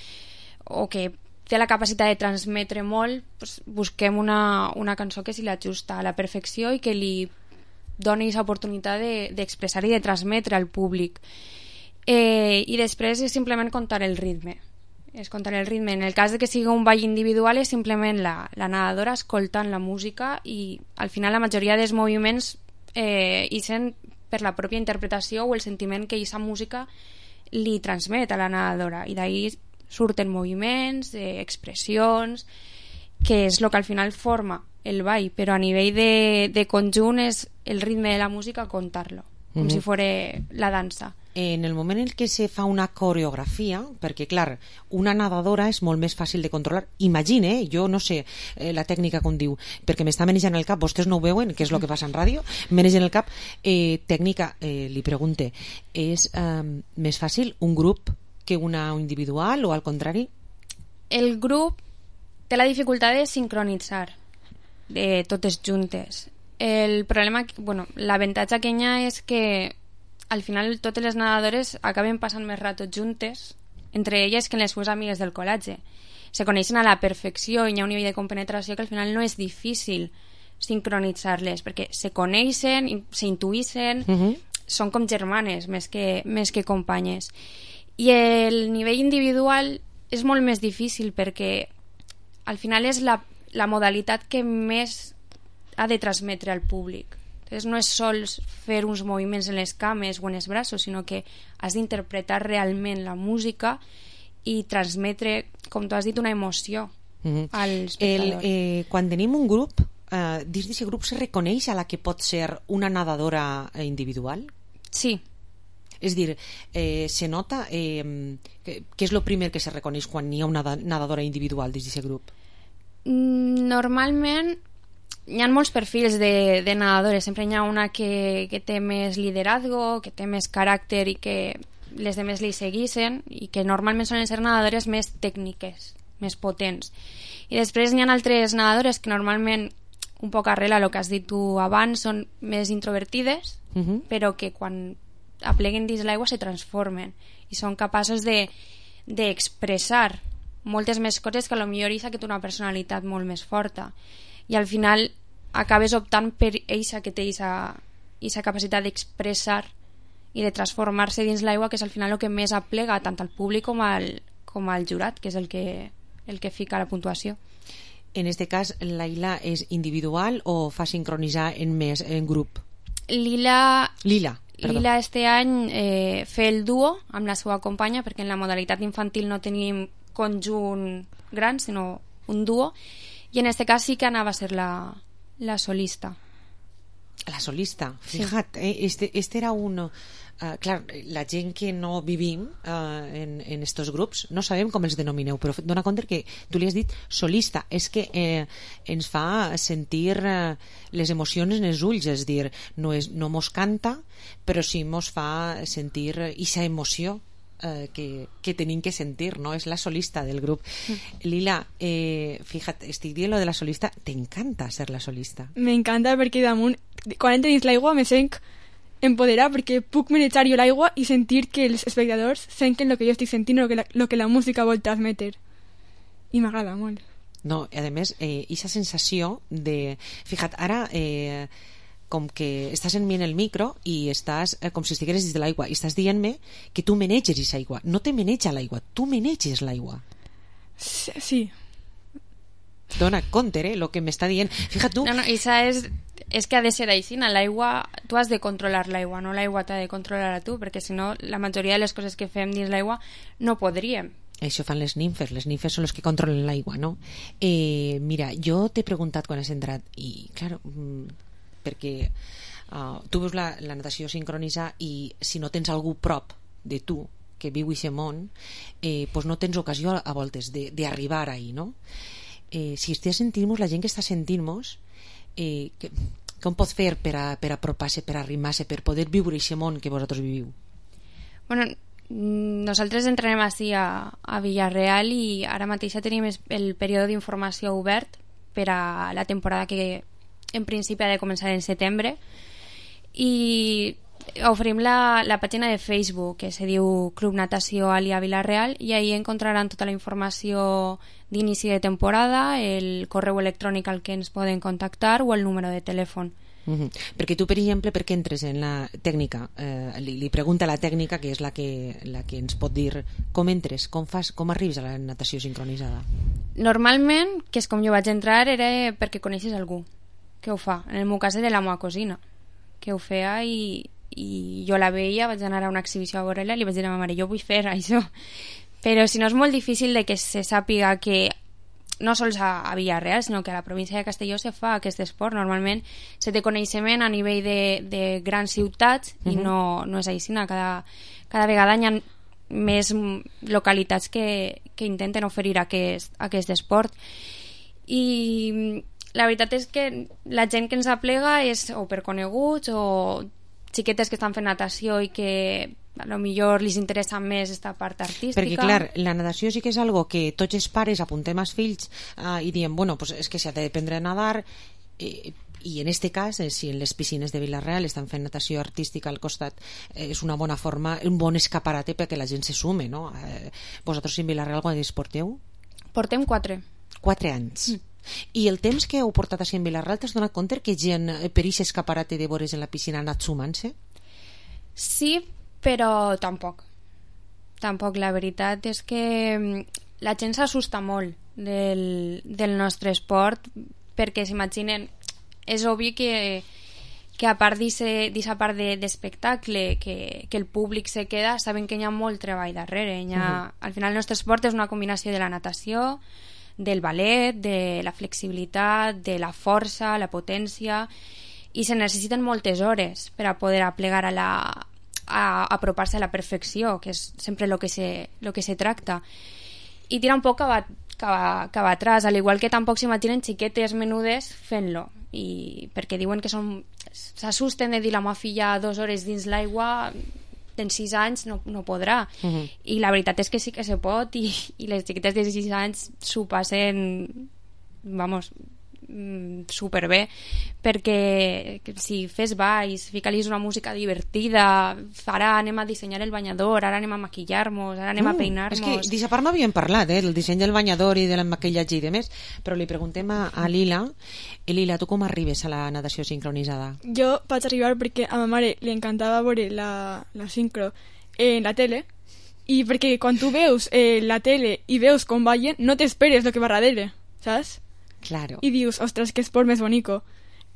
o que té la capacitat de transmetre molt, doncs busquem una, una cançó que s'hi l'ajusta a la perfecció i que li doni aquesta oportunitat d'expressar de, i de transmetre al públic. Eh, I després és simplement comptar el ritme. És comptar el ritme. En el cas de que sigui un ball individual és simplement la, la nedadora escoltant la música i al final la majoria dels moviments eh, hi sent per la pròpia interpretació o el sentiment que aquesta música li transmet a la nedadora, i d'ahí surten moviments, eh, expressions, que és el que al final forma el ball, però a nivell de, de conjunt és el ritme de la música comptar-lo, com Mm-hmm. si fos la dansa. En el moment en què se fa una coreografia, perquè clar, una nedadora és molt més fàcil de controlar, imagine, eh, jo no sé eh, la tècnica com diu, perquè m'està manejant el cap, vostès no ho veuen, que és el que passa en ràdio, manegen el cap, eh, tècnica, eh, li pregunte, és eh, més fàcil un grup que una individual o al contrari? El grup té la dificultat de sincronitzar de totes juntes. El problema, bueno, l'avantatge que hi ha és que al final totes les nedadores acaben passant més rato juntes, entre elles que en les seves amigues del col·legi. Se coneixen a la perfecció i hi ha un nivell de compenetració que al final no és difícil sincronitzar-les, perquè se coneixen, s'intuïssen, Uh-huh. són com germanes més que, més que companyes. I el nivell individual és molt més difícil perquè al final és la, la modalitat que més ha de transmetre al públic. Entonces no és sols fer uns moviments en les cames o en els braços, sinó que has d'interpretar realment la música i transmetre, com tu has dit, una emoció Uh-huh. al El, espectador. eh, quan tenim un grup, eh, dins d'aquest grup se reconeix a la que pot ser una nedadora eh, individual? Sí. És dir, eh, se nota eh, que, que és el primer que se reconeix quan hi ha una nedadora individual dins d'aquest grup? Normalment hi ha molts perfils de, de nedadores. Sempre hi ha una que, que té més liderazgo, que té més caràcter i que les demés li seguissin, i que normalment solen ser nedadores més tècniques, més potents. I després hi ha altres nedadores que normalment, un poc arrel a el que has dit tu abans, són més introvertides, Uh-huh. però que quan apleguen dins l'aigua se transformen i són capaços de d'expressar moltes més coses que potser eixa que té una personalitat molt més forta, i al final acabes optant per eixa que té eixa capacitat d'expressar i de transformar-se dins l'aigua, que és al final el que més aplega tant al públic com al, com al jurat, que és el que, el que fica la puntuació. En este cas, Laila és individual o fa sincronitzar en més en grup? Lila Lila, perdó. Lila este any eh, fer el duo amb la seva companya, perquè en la modalitat infantil no tenim conjunt gran, sinó un duo, i en este cas sí que anava a ser la, la solista. La solista, Sí. fíjate, eh, este, este era un... Uh, clar, la gent que no vivim uh, en, en estos grups no sabem com els denomineu, però dona compte que tu li has dit solista, és que eh, ens fa sentir uh, les emocions en els ulls, és dir, no, és, no mos canta, però sí mos fa sentir aquesta emoció eh, que, que tenim que sentir, no? És la solista del grup. Mm. Lila, eh, fíjate, estic dient lo de la solista, t'encanta ser la solista. M'encanta perquè damunt, quan entro dins l'aigua me sent empoderar, perquè puc manejar jo l'aigua i sentir que els espectadors senten el que jo estic sentint, el que la, lo que la música vol transmetre, i m'agrada molt. No, a més, eh, aquesta sensació de... Fija't, ara eh, com que estàs en mi en el micro i estàs eh, com si estigueres dins de l'aigua i estàs dient-me que tu maneges aquesta aigua. No te maneja l'aigua, tu maneges l'aigua. Sí, sí. Dona compte, eh, lo que m'està dient. Fija't tu... No, no, això és, és que ha de ser així. L'aigua, tu has de controlar l'aigua, no l'aigua t'ha de controlar a tu, perquè si no, la majoria de les coses que fem dins l'aigua no podríem. Això fan les nimfes, les nimfes són les que controlen l'aigua, no? Eh, mira, jo t'he preguntat quan has entrat i, clar, perquè uh, tu veus la, la natació sincronitzar i si no tens algú prop de tu que viu aquest món, eh, pues no tens ocasió a voltes d'arribar ahí, no? Eh, si estàs sentint-nos, la gent que està sentint-nos, eh, que, com pot fer per, a, per apropar-se, per arrimar-se, per poder viure aquest món que vosaltres viviu? Bueno, nosaltres entrenem així a, a Villarreal i ara mateix tenim el període d'informació obert per a la temporada que en principi ha de començar en setembre, i oferim la, la pàgina de Facebook que se diu Club Natació Alia Villarreal, i ahí encontraran tota la informació d'inici de temporada, el correu electrònic al que ens poden contactar o el número de telèfon. Uh-huh. Perquè tu, per exemple, per què entres en la tècnica? Eh, li, li pregunta a la tècnica, que és la que, la que ens pot dir com entres, com fas, com arribes a la natació sincronitzada. Normalment, que és com jo vaig entrar, era perquè coneixes algú que ho fa. En el meu cas era la meva cosina que ho feia, i, i jo la veia, vaig anar a una exhibició a veure-la i li vaig dir a ma mare, jo vull fer això. Però si no, és molt difícil de que se sàpiga que no sols a, a Villarreal, sinó que a la província de Castelló se fa aquest esport. Normalment se té coneixement a nivell de, de grans ciutats, uh-huh. i no, no és així. Cada, cada vegada hi ha més localitats que, que intenten oferir aquest, aquest esport. I la veritat és que la gent que ens aplega és o per coneguts o xiquetes que estan fent natació i que a lo millor li interessa més esta part artística. Perquè, clar, la natació sí que és algo que tots els pares apuntem als fills uh, i diem, bueno, pues és que s'ha d'aprendre a nadar, eh, i en este cas, eh, si en les piscines de Villarreal estan fent natació artística al costat, eh, és una bona forma, un bon escaparate perquè la gent se sume, no? Eh, vosaltres en Villarreal quan es porteu? Portem quatre. Quatre anys. Mm. I el temps que heu portat així en Villarreal, t'has donat compte que gent per aquest escaparate de vores en la piscina ha anat sumant-se? Sí, però tampoc. Tampoc, la veritat és que la gent s'assusta molt del, del nostre esport, perquè s'imaginen, és obvi que, que a part d'aquesta part d'espectacle de, que, que el públic se queda, saben que hi ha molt treball darrere. Hi ha, uh-huh. Al final el nostre esport és una combinació de la natació, del ballet, de la flexibilitat, de la força, la potència, i se necessiten moltes hores per a poder aplegar a la a apropar-se a la perfecció, que és sempre el que se, lo que se tracta, i tira un poc cap, cap, cap atrás, al igual que tampoc s'imaginen xiquetes menudes fent-lo, i perquè diuen que són s'assusten de dir la meva filla dues hores dins l'aigua, en sis anys no, no podrà, uh-huh. i la veritat és que sí que se pot, i, i les xiquetes de sis anys s'ho passen, vamos, superbé, perquè si fes balls, fica-li una música divertida, ara anem a dissenyar el banyador, ara anem a maquillar-nos, ara anem mm, a peinar-nos. És que d'aquesta part m'havien parlat, eh, del disseny del banyador i del maquillatge i demés, però li preguntem a, a Lila. I Lila, tu com arribes a la natació sincronitzada? Jo vaig arribar perquè a ma mare li encantava veure la, la sincro en la tele, i perquè quan tu veus eh, la tele i veus com ballen, no t'esperes el que va darrere, saps? Claro. Y dius, ostras, qué sport más bonito.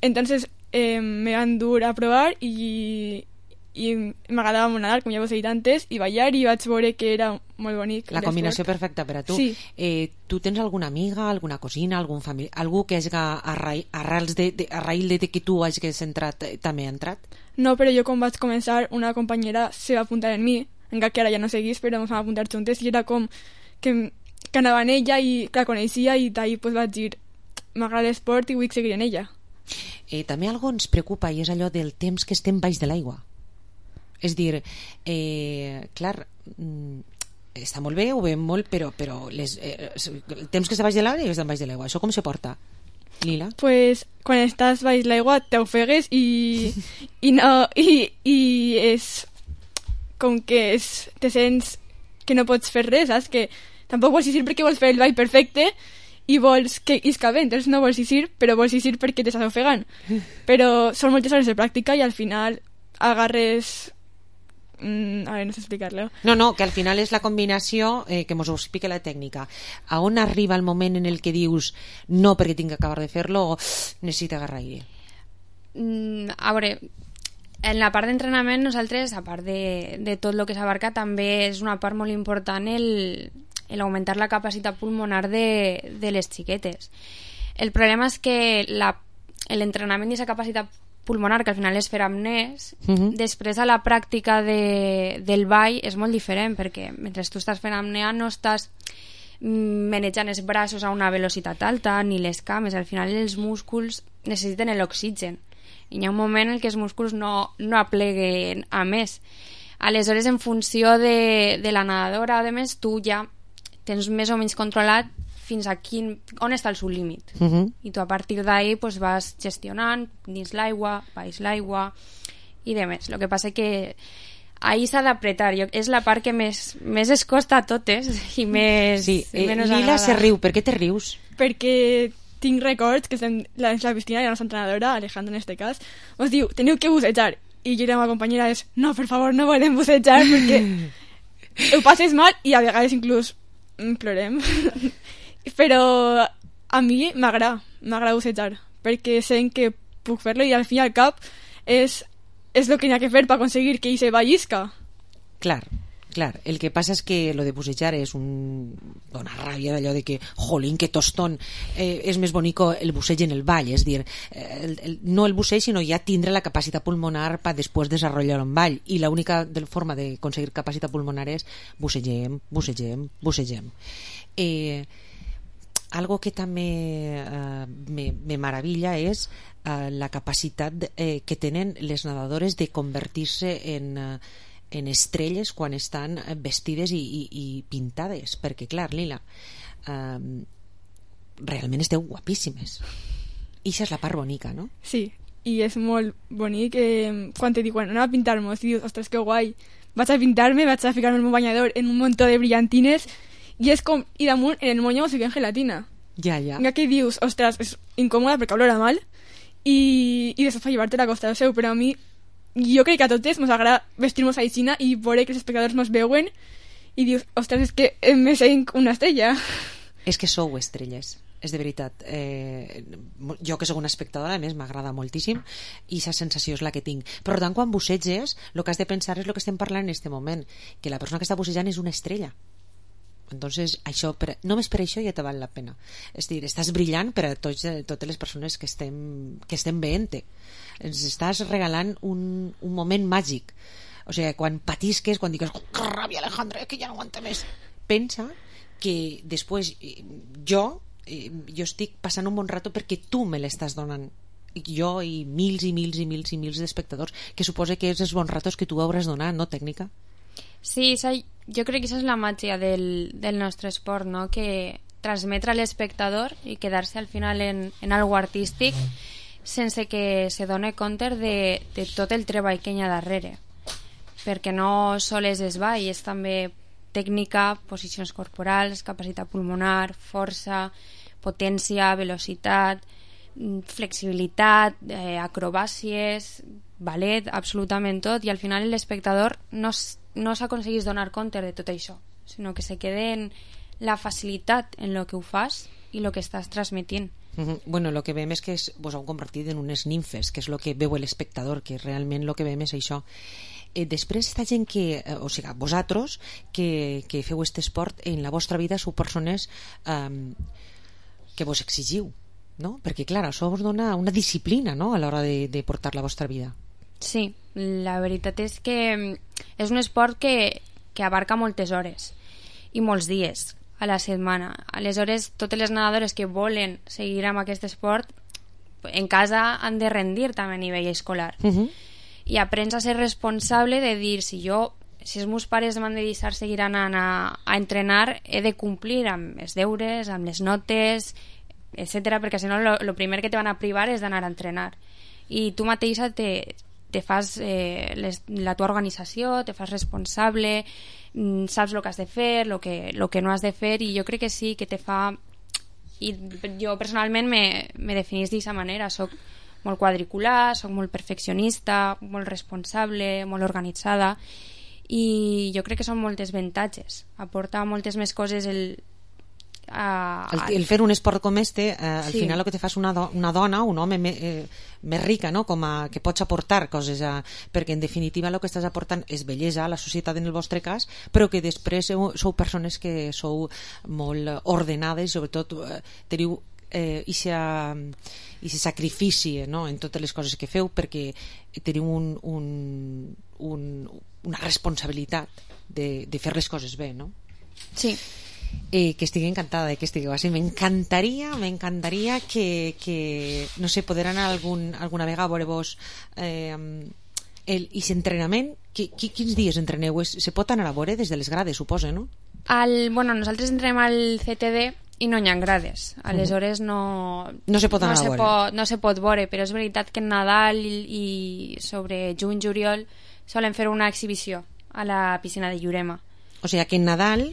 Entonces eh, me van dur a probar y, y m'agradava molt nadar, com ja vos he dit antes, i ballar, i vaig veure que era molt bonic. La combinació perfecta per a tu. Sí. Eh, tu tens alguna amiga, alguna cosina, algun familiar, algú que hagi arrels de, de, a raïl de que tu hagis entrat, eh, també ha entrat? No, però jo quan vaig començar, una companyera se va apuntar en mi, encara que ara ja no seguís, però ens vam apuntar juntes, i era com que, que anava en ella i que la coneixia, i d'ahir pues, vaig dir m'agrada l'esport i vull seguir en ella. Eh, també algo ens preocupa, i és allò del temps que estem baix de l'aigua. És dir, eh, clar, està molt bé, ho veiem molt, però, però les, eh, el temps que està baix de l'aigua i estem baix de l'aigua. Això com se porta, Lila? Pues quan estàs baix de l'aigua t'ofegues i, i, no, i, i és com que és, te sents que no pots fer res, saps? Que tampoc vols dir perquè vols fer el ball perfecte i vols que isca bé, entonces no vols eixir, però vols eixir perquè t'estàs ofegant. Però són moltes hores de pràctica i al final agarres... Mm, a veure, no sé explicar-lo. No, no, que al final és la combinació, eh, que mos ho explica la tècnica. A on arriba el moment en el que dius no perquè tinc que acabar de fer-lo o necessita agarrar aire? Mm, a veure, en la part d'entrenament nosaltres, a part de, de tot el que s'abarca, també és una part molt important el... el augmentar la capacitat pulmonar de, de les xiquetes. El problema és que la, l'entrenament d'aquesta capacitat pulmonar, que al final és fer apnès, Mhm. després a la pràctica de, del ball és molt diferent, perquè mentre tu estàs fent apnea no estàs manejant els braços a una velocitat alta, ni les cames, al final els músculs necessiten l'oxigen, i hi ha un moment en què els músculs no, no apleguen a més. Aleshores, en funció de, de la nedadora, a més, tu ja tens més o menys controlat fins a quin, on està el seu límit. Uh -huh. I tu a partir d'ahí pues, vas gestionant dins l'aigua, baix l'aigua i demés. El que passa que ahí s'ha d'apretar. És la part que més, més es costa a totes i més... Sí, eh, menys Lila agrada. se riu. Per què te rius? Perquè tinc records que estem la, la piscina i la nostra entrenadora, Alejandra en este cas, us diu, teniu que bussejar. I jo i la meva companyera és, no, per favor, no volem bussejar perquè ho passes mal i a vegades inclús plorem. Però a mi m'agrada, m'agrada bussejar, perquè sé que puc fer-lo i al fin i al cap és, és el que hi ha que fer per aconseguir que hi se vallisca. Clar, clar. El que passa és que lo de bussejar és un... dona ràbia d'allò de que, jolín, que tostón, eh, és més bonico el busseig en el ball, és dir, eh, el, el, no el busseig, sinó ja tindre la capacitat pulmonar per després desenvolupar un ball, i l'única forma d'aconseguir capacitat pulmonar és bussegem, bussegem, bussegem. Eh, algo que també eh, me, me maravilla és eh, la capacitat eh, que tenen les nedadores de convertir-se en... Eh, en estrelles quan estan vestides i, i, i pintades, perquè clar, Lila, eh, realment esteu guapíssimes, i això és la part bonica, no? Sí, i és molt bonic eh, quan te diuen, anem a pintar-nos i dius, ostres, que guai, vaig a pintar-me, vaig a ficar-me el meu banyador en un muntó de brillantines i és com, i damunt en el moño us fiquen gelatina, ja, ja, ja que dius, ostres, és incòmoda perquè olora mal i, i després fa llevar-te la costa del seu, però a mi jo crec que a totes ens agrada vestir-nos a Xina i veure que els espectadors ens veuen i dius, ostres, és que me sent una estrella. És que sou estrelles, és de veritat. Eh, jo que sóc una espectadora, a més m'agrada moltíssim i aquesta sensació és la que tinc. Per tant, quan busseges, el que has de pensar és el que estem parlant en aquest moment, que la persona que està bussejant és una estrella. Entonces, això, per, només per això ja te val la pena. És dir, estàs brillant per a tots, totes les persones que estem, que estem veient-te. Ens estàs regalant un, un moment màgic. O sigui, quan patisques, quan digues, oh, que ràbia, Alejandra, que ja no aguanta més, pensa que després jo jo estic passant un bon rato perquè tu me l'estàs donant, jo i mils i mils i mils i mils d'espectadors, que suposa que és els bons ratos que tu hauràs donat, no, tècnica? Sí, esa, jo crec que això és la màgia del, del nostre esport, no? Que transmetre a l'espectador i quedar-se al final en, en algo artístic sense que se done compte de, de tot el treball que hi ha darrere, perquè no sols és ball, és també tècnica, posicions corporals, capacitat pulmonar, força, potència, velocitat, flexibilitat, eh, acrobàcies, ballet, absolutament tot, i al final l'espectador no, no s'aconsegueix donar compte de tot això, sinó que se quede en la facilitat en lo que ho fas i lo que estàs transmitint. Uh-huh. Bueno, el que veiem és que es, vos heu convertit en unes nimfes, que és el que veu l'espectador, que realment el que veiem és això. Eh, després, esta gent que, eh, o sigui, vosaltres que, que feu aquest esport en la vostra vida sou persones eh, que vos exigiu, no? Perquè clar, això vos dona una disciplina, no?, a l'hora de, de portar la vostra vida. Sí, la veritat és que és un esport que, que abarca moltes hores i molts dies a la setmana. Aleshores, totes les nedadores que volen seguir amb aquest esport en casa han de rendir també a nivell escolar. Uh-huh. I aprens a ser responsable de dir, si jo, si els meus pares m'han de deixar seguir anant a, a entrenar, he de complir amb els deures, amb les notes, etcètera, perquè si no el primer que te van a privar és d'anar a entrenar. I tu mateixa te, te fas eh, les, la tua organització, te fas responsable, saps el que has de fer, el que, lo que no has de fer, i jo crec que sí, que te fa... I jo personalment me, me definís d'aquesta manera, soc molt quadricular, soc molt perfeccionista, molt responsable, molt organitzada, i jo crec que són moltes avantatges, aporta moltes més coses el... A, el, el fer un esport com este, eh, al sí. final el que te fa és una, do, una dona, un home me, eh, més rica, no? Com a, que pots aportar coses a, perquè en definitiva el que estàs aportant és bellesa a la societat en el vostre cas, però que després sou, sou persones que sou molt ordenades i sobretot eh, teniu eh, ixa, ixa sacrifici, no?, en totes les coses que feu, perquè teniu un, un, un, una responsabilitat de, de fer les coses bé, no? Sí. Eh, que estigui encantada de que estigueu així. M'encantaria, m'encantaria que, que, no sé, poder anar algun, alguna vegada a veure-vos eh, el, i l'entrenament. Qui, qui, quins dies entreneu? Es, se pot anar a veure des de les grades, suposa, no? Al, bueno, nosaltres entrenem al C T D i no hi ha grades. Aleshores no... No se pot anar no a se veure. Pot, no se pot veure, però és veritat que en Nadal i, i sobre juny-juliol solen fer una exhibició a la piscina de Llurema. O sigui que en Nadal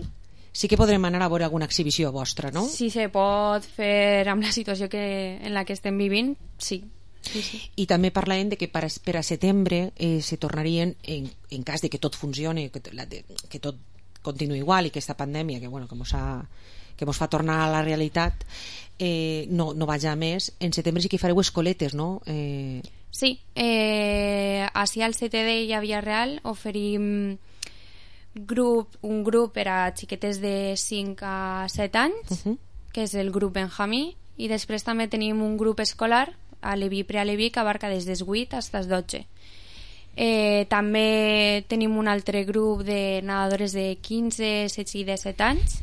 sí que podrem anar a veure alguna exhibició vostra, no? Si se pot fer amb la situació que, en la que estem vivint, sí. Sí, sí. I també parlàvem de que per a, per a setembre eh, se tornarien, en, en cas de que tot funcioni, que, la, de, que tot continua igual i que aquesta pandèmia que, bueno, que mos ha, que mos fa tornar a la realitat eh, no, no vaja a més, en setembre sí que fareu escoletes, no? Eh... Sí, eh, així al C T D i a Villarreal oferim grup, un grup per a xiquetes de cinc a set anys, uh -huh. que és el grup Benjamí, i després també tenim un grup escolar a Leví Prealeví que abarca des dels vuit fins als dotze. Eh, també tenim un altre grup de nedadores de quinze, setze i disset anys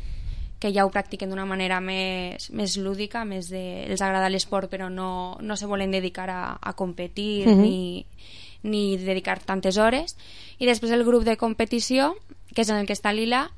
que ja ho practiquen d'una manera més, més lúdica, més de, els agrada l'esport però no, no se volen dedicar a, a competir uh -huh. ni, ni dedicar tantes hores. I després el grup de competició, que és en el que està Lila,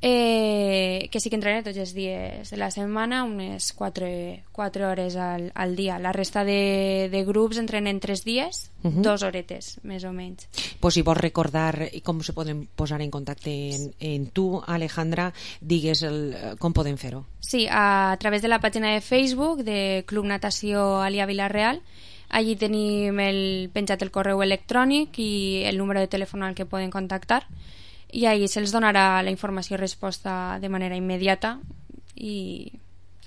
eh, que sí que entrena tots els dies de la setmana, unes quatre hores al, al dia. La resta de, de grups entrenen tres dies, uh -huh. dos horetes, més o menys. Pues si vols recordar com se poden posar en contacte en, en tu, Alejandra, digues el, com podem fer-ho. Sí, a, a través de la pàgina de Facebook de Club Natació Alia Villarreal. Allí tenim el, penjat el correu electrònic i el número de telèfon al que poden contactar, i ahí se'ls donarà la informació i resposta de manera immediata i,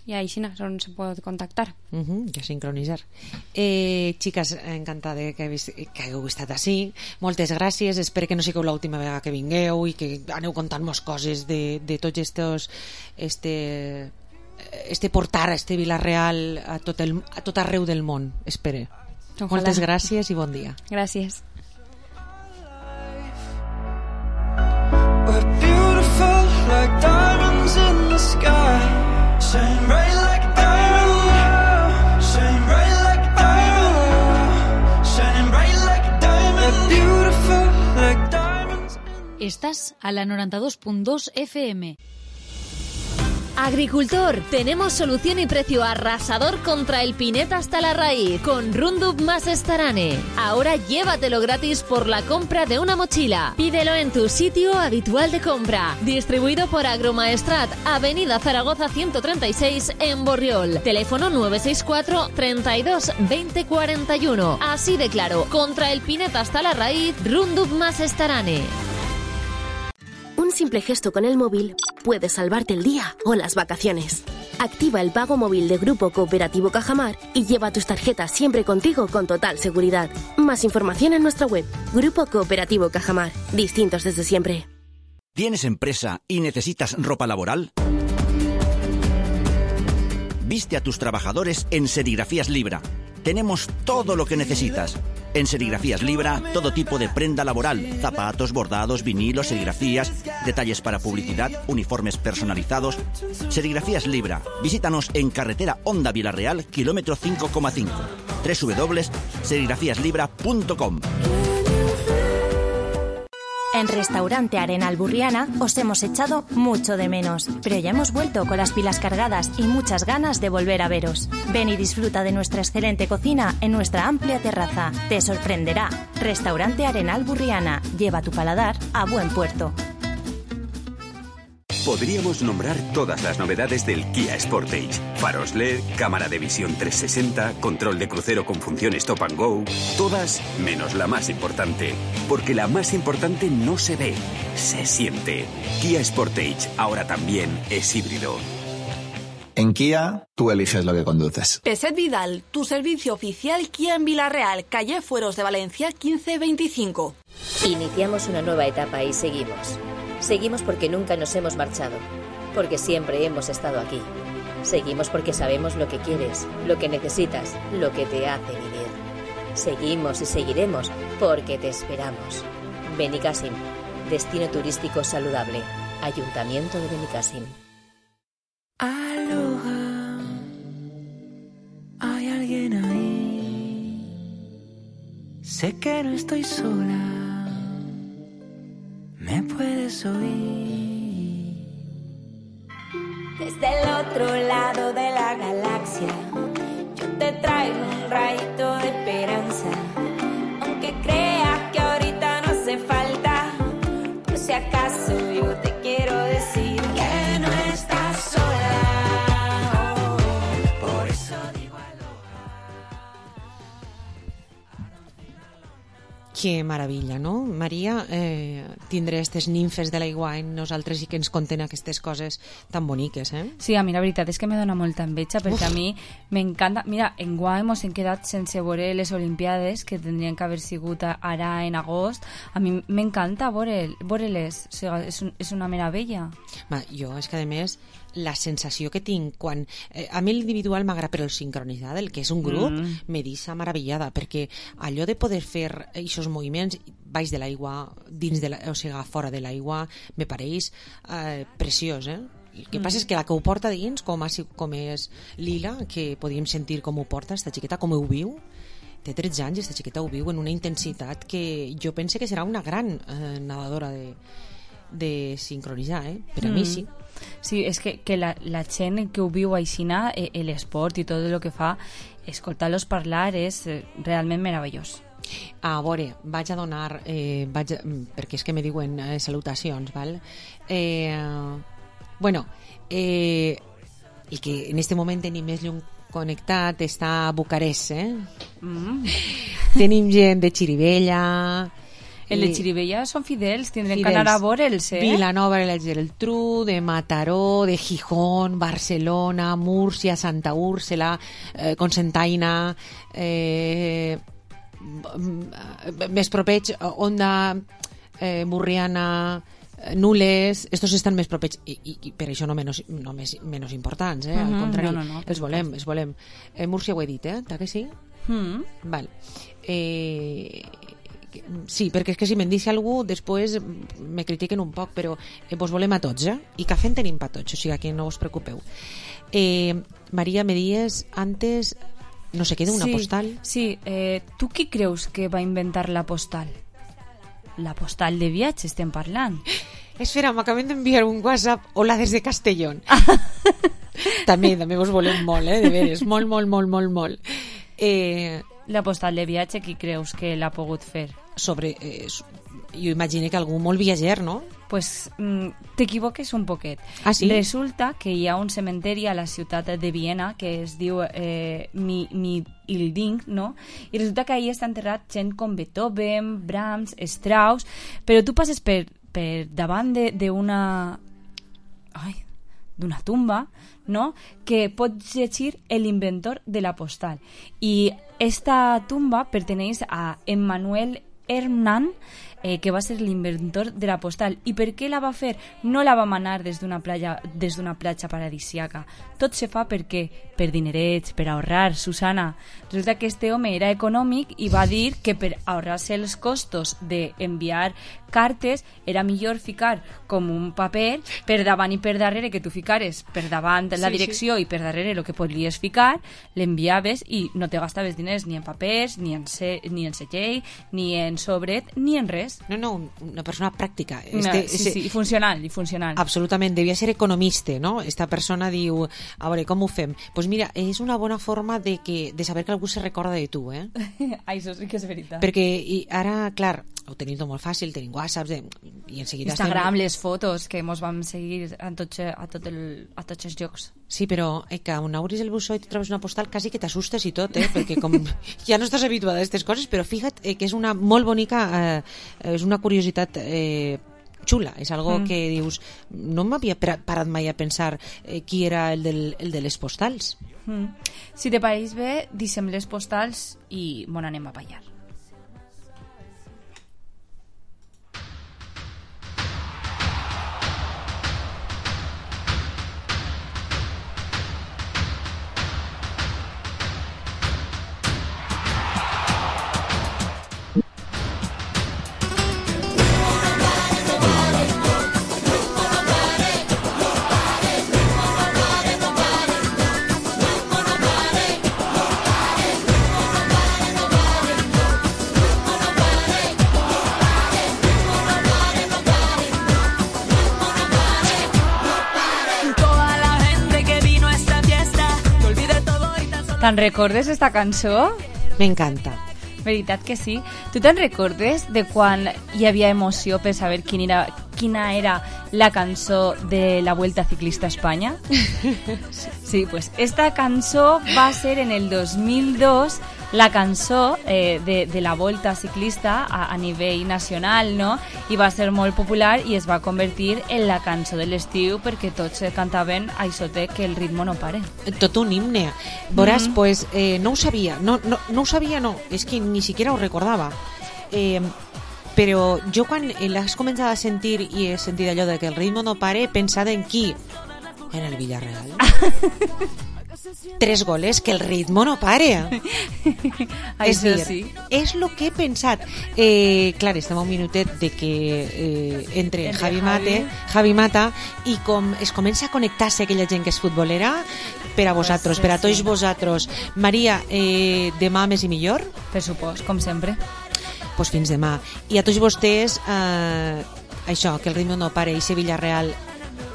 i així és on se pot contactar. Uh -huh, ja sincronitzar. Eh, xiques, encantada que, que hagueu estat així. Moltes gràcies, espero que no sigueu l'última vegada que vingueu i que aneu contant-nos coses de, de tots estos este, este portar a este Vila-real a tot, el, a tot arreu del món, espero. Ojalà. Moltes gràcies i bon dia. Gràcies. We're beautiful like diamonds in the sky, shine bright like a diamond, shine bright like a diamond, shining bright like a diamond. We're beautiful like diamonds. Estás a la noventa y dos punto dos F M. Agricultor, tenemos solución y precio arrasador contra el pineta hasta la raíz con Rundup más Estarane. Ahora llévatelo gratis por la compra de una mochila. Pídelo en tu sitio habitual de compra. Distribuido por Agromaestrat, Avenida Zaragoza ciento treinta y seis en Borriol. Teléfono nueve seis cuatro, treinta y dos, veinte cuarenta y uno. Así de claro, contra el pineta hasta la raíz, Rundup más Estarane. Un simple gesto con el móvil puede salvarte el día o las vacaciones. Activa el pago móvil de Grupo Cooperativo Cajamar y lleva tus tarjetas siempre contigo con total seguridad. Más información en nuestra web. Grupo Cooperativo Cajamar. Distintos desde siempre. ¿Tienes empresa y necesitas ropa laboral? Viste a tus trabajadores en Serigrafías Libra. Tenemos todo lo que necesitas. En Serigrafías Libra, todo tipo de prenda laboral, zapatos, bordados, vinilos, serigrafías, detalles para publicidad, uniformes personalizados. Serigrafías Libra. Visítanos en carretera Honda Villarreal, kilómetro cinco coma cinco. doble u doble u doble u punto serigrafías libra punto com. En Restaurante Arenal Burriana os hemos echado mucho de menos, pero ya hemos vuelto con las pilas cargadas y muchas ganas de volver a veros. Ven y disfruta de nuestra excelente cocina en nuestra amplia terraza. Te sorprenderá. Restaurante Arenal Burriana. Lleva tu paladar a buen puerto. Podríamos nombrar todas las novedades del Kia Sportage. Faros L E D, cámara de visión trescientos sesenta, control de crucero con función Stop and Go. Todas menos la más importante. Porque la más importante no se ve, se siente. Kia Sportage ahora también es híbrido. En Kia, tú eliges lo que conduces. Peset Vidal, tu servicio oficial Kia en Vila-real, calle Fueros de Valencia quince veinticinco. Iniciamos una nueva etapa y seguimos. Seguimos porque nunca nos hemos marchado, porque siempre hemos estado aquí. Seguimos porque sabemos lo que quieres, lo que necesitas, lo que te hace vivir. Seguimos y seguiremos porque te esperamos. Benicàssim, destino turístico saludable. Ayuntamiento de Benicàssim. Aloha, hay alguien ahí. Sé que no estoy sola, me puedes oír. Desde el otro lado de la galaxia, yo te traigo un rayito de esperanza. Aunque creas que ahorita no hace falta, por si acaso yo te quiero decir que no estás sola. Oh, por eso digo Que meravella, no? Maria, eh, tindre aquestes nimfes de l'aigua en nosaltres i que ens conten aquestes coses tan boniques, eh? Sí, a mi la veritat és que me dona molta enveja perquè Uf. a mi m'encanta... Mira, en Guai mos hem quedat sense veure les Olimpiades que tindrien que haver sigut ara en agost. A mi m'encanta veure-les, o sigui, és, un, és una meravella. Ma, jo, és que a més la sensació que tinc quan... Eh, a mi l'individual m'agrada, però el sincronitzat, el que és un grup, mm. me deixa meravellada, perquè allò de poder fer aquests moviments baix de l'aigua, dins de la, o sigui, fora de l'aigua, me pareix eh, preciós, eh? El que mm. passa és que la que ho porta dins, com, com és Lila, que podíem sentir com ho porta, esta xiqueta, com ho viu, té tretze anys i esta xiqueta ho viu en una intensitat que jo pense que serà una gran eh, nedadora de, de sincronitzar, eh? Per a mm. mi sí. Sí, és que, que la, la gent que ho viu aixina, eh, l'esport i tot el que fa, escoltar-los parlar és eh, realment meravellós. A veure, vaig a donar eh, vaig a, perquè és que me diuen eh, salutacions, val? Eh, bueno, eh, el que en este moment tenim més llum connectat està a Bucarest, eh? Mm. Tenim gent de Xirivella. El de Xirivella són fidels, tindrem que anar a veure'ls, eh? Vilanova de la Geltrú, de Mataró, de Gijón, Barcelona, Múrcia, Santa Úrsula, eh, Cocentaina, eh, més propers, Onda, eh, Burriana, Nules, estos estan més propers i, i, i per això no menys, no més, menys importants, eh? Al mm-hmm, contrari, no, no, no, els volem, els volem. Eh, Múrcia ho he dit, eh? Ta que sí? Mm. Val. Eh... Sí, perquè és que si me'n deixa algú després me critiquen un poc, però eh, vos volem a tots, eh? I cafè en tenim pa tots, o sigui que no us preocupeu. eh, Maria, me dies antes, no sé, queda una sí, postal. Sí, eh, tu qui creus que va inventar la postal? La postal de viatge estem parlant. Espera, m'acaben d'enviar un WhatsApp. Hola des de Castellón. també, també vos volem molt, eh? De veres, molt, molt, molt, molt, molt. Eh... La postal de viatge, qui creus que l'ha pogut fer? Sobre, eh, jo imagino que algú molt viatger, no? Pues mm, t'equivoques un poquet. Ah, sí? Resulta que hi ha un cementeri a la ciutat de Viena que es diu eh, Mi, Mi Ilding, no? I resulta que ahí està enterrat gent com Beethoven, Brahms, Strauss, però tu passes per, per davant d'una... Ai, d'una tumba, no? Que pots llegir l'inventor de la postal. I esta tumba perteneix a Emmanuel Hermann, eh, que va ser l'inventor de la postal. I per què la va fer? No la va manar des d'una platja, des d'una platja paradisíaca. Tot se fa perquè per dinerets, per ahorrar, Susana. Resulta que este home era econòmic i va dir que per ahorrar-se els costos d'enviar cartes era millor ficar com un paper per davant i per darrere, que tu ficares per davant la sí, direcció sí. I per darrere el que podries ficar, l'enviaves i no te gastaves diners ni en papers, ni en, se, ni en segell, ni en sobret, ni en res. No, no, una persona pràctica. Este, no, sí, sí, i funcional, i funcional. Absolutament, devia ser economista, no? Esta persona diu, a veure, com ho fem? Doncs pues mira, és una bona forma de, que, de saber que algú se recorda de tu, eh? Això sí que és veritat. Perquè i ara, clar, ho tenim tot molt fàcil, tenim WhatsApp de, i en seguida Instagram, estem... les fotos que mos vam seguir a tots, a tot el, a tots els llocs. Sí, però eh, que on obris el bussó i tu trobes una postal quasi que t'assustes i tot, eh? Perquè com ja no estàs habituada a aquestes coses, però fíjate eh, que és una molt bonica, eh, és una curiositat eh, xula, és algo mm. que dius, no m'havia parat mai a pensar eh, qui era el, del, el de les postals. Mm. Si te pareix bé, deixem les postals i bon anem a ballar. Te'n recordes esta cançó? M'encanta. Veritat que sí. Tu te'n recordes de quan hi havia emoció per saber quin era, quina era la cançó de la Vuelta Ciclista a Espanya? Sí, pues esta cançó va ser en el dos mil dos la cançó eh, de, de la Volta Ciclista a, a nivell nacional, no? I va ser molt popular i es va convertir en la cançó de l'estiu perquè tots cantaven això de que el ritmo no pare. Tot un himne. Veuràs, Mhm. pues, eh, no ho sabia, no, no, no ho sabia, no, és que ni siquiera ho recordava. Eh, però jo quan l'has començat a sentir i he sentit allò de que el ritmo no pare, he pensat en qui? En el Villarreal. Tres goles, que el ritmo no pare. És Això dir, sí. és el que he pensat. Eh, clar, estem a un minutet de que eh, entre, Entre Javi, Javi. Mate, Javi Mata i com es comença a connectar-se aquella gent que és futbolera per a vosaltres, Pues, per a sí. tots vosaltres. Maria, eh, demà més i millor? Per supost, com sempre. Pues fins demà. I a tots vostès, eh, això, que el ritmo no pare, i Sevilla Real,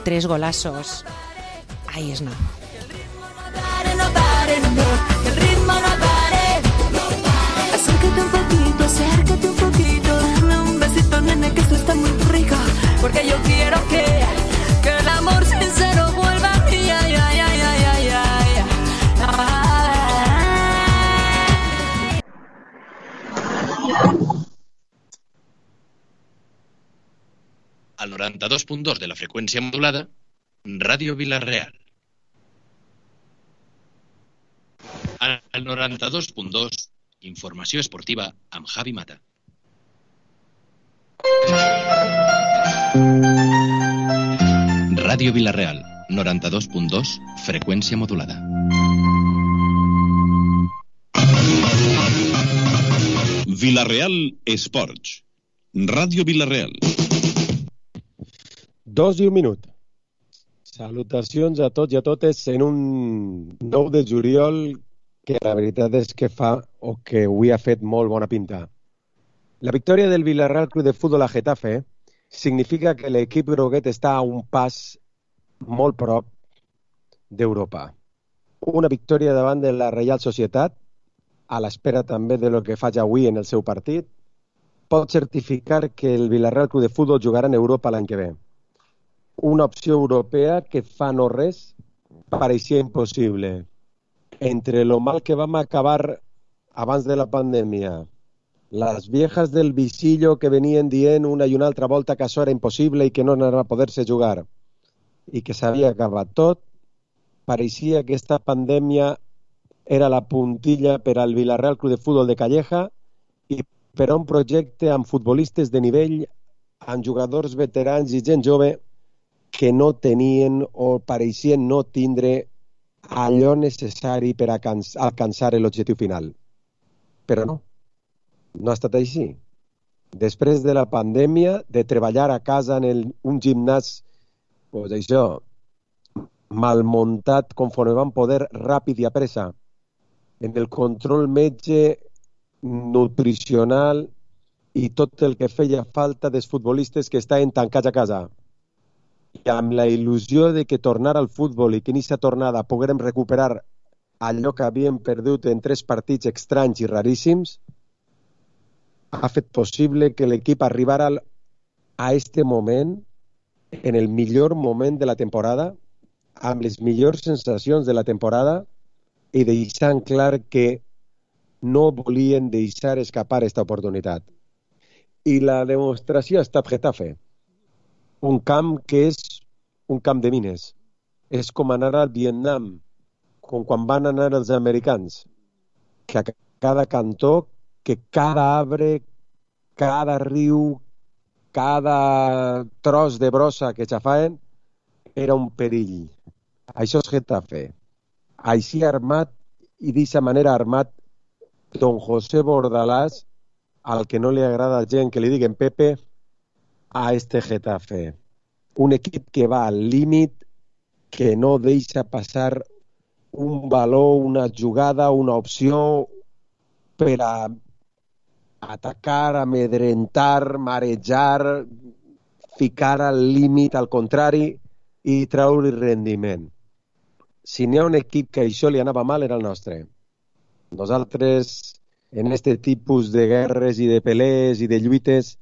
tres golazos. Ahí es nada. El ritmo no pare. Acércate un poquito, acércate un poquito. Dame un besito, nene, que esto está muy rico. Porque yo quiero que, que el amor sincero vuelva a mí. Ay, ay, ay, ay, ay, ay. Al noranta-dos punt dos de la freqüència modulada, Ràdio Vila-real. Al noranta-dos punt dos, informació esportiva amb Javi Mata. Ràdio Vila-real, noranta-dos punt dos, freqüència modulada. Vila-real Esports. Ràdio Vila-real. Dos i un minut. Salutacions a tots i a totes en un nou de juliol que la veritat és que fa o que avui ha fet molt bona pinta. La victòria del Villarreal Club de Futbol a Getafe significa que l'equip groguet està a un pas molt prop d'Europa. Una victòria davant de la Reial Societat, a l'espera també de lo que faig avui en el seu partit, pot certificar que el Villarreal Club de Futbol jugarà en Europa l'any que ve. Una opció europea que fa no res pareixia impossible. Entre lo mal que vam acabar abans de la pandèmia, les viejas del visillo que venien dient una i una altra volta que això era impossible i que no anava a poder-se jugar i que s'havia acabat tot, pareixia que aquesta pandèmia era la puntilla per al Villarreal Club de Futbol de Calleja i per a un projecte amb futbolistes de nivell, amb jugadors veterans i gent jove que no tenien o pareixien no tindre allò necessari per a alcançar l'objectiu final. Però no, no ha estat així. Després de la pandèmia, de treballar a casa en el, un gimnàs, pues això, mal muntat conforme van poder, ràpid i a pressa, en el control metge, nutricional i tot el que feia falta dels futbolistes que estaven tancats a casa. I amb la il·lusió de que tornar al futbol i que en aquesta tornada poguérem recuperar allò que havíem perdut en tres partits estranys i raríssims, ha fet possible que l'equip arribara a este moment, en el millor moment de la temporada, amb les millors sensacions de la temporada i deixant clar que no volien deixar escapar aquesta oportunitat. I la demostració ha estat Getafe. Un camp que és un camp de mines. És com anar al Vietnam, com quan van anar els americans, que a cada cantó, que cada arbre, cada riu, cada tros de brossa que xafaven era un perill. Això és Getafe. Així armat i d'aquesta manera armat don José Bordalás, al que no li agrada a gent que li diguen Pepe, a este Getafe. Un equip que va al límit, que no deixa passar un valor, una jugada, una opció per a atacar, amedrentar, marejar, ficar al límit, al contrari, i treure rendiment. Si n'hi ha un equip que això li anava mal, era el nostre. Nosaltres, en este tipus de guerres i de pelees i de lluites,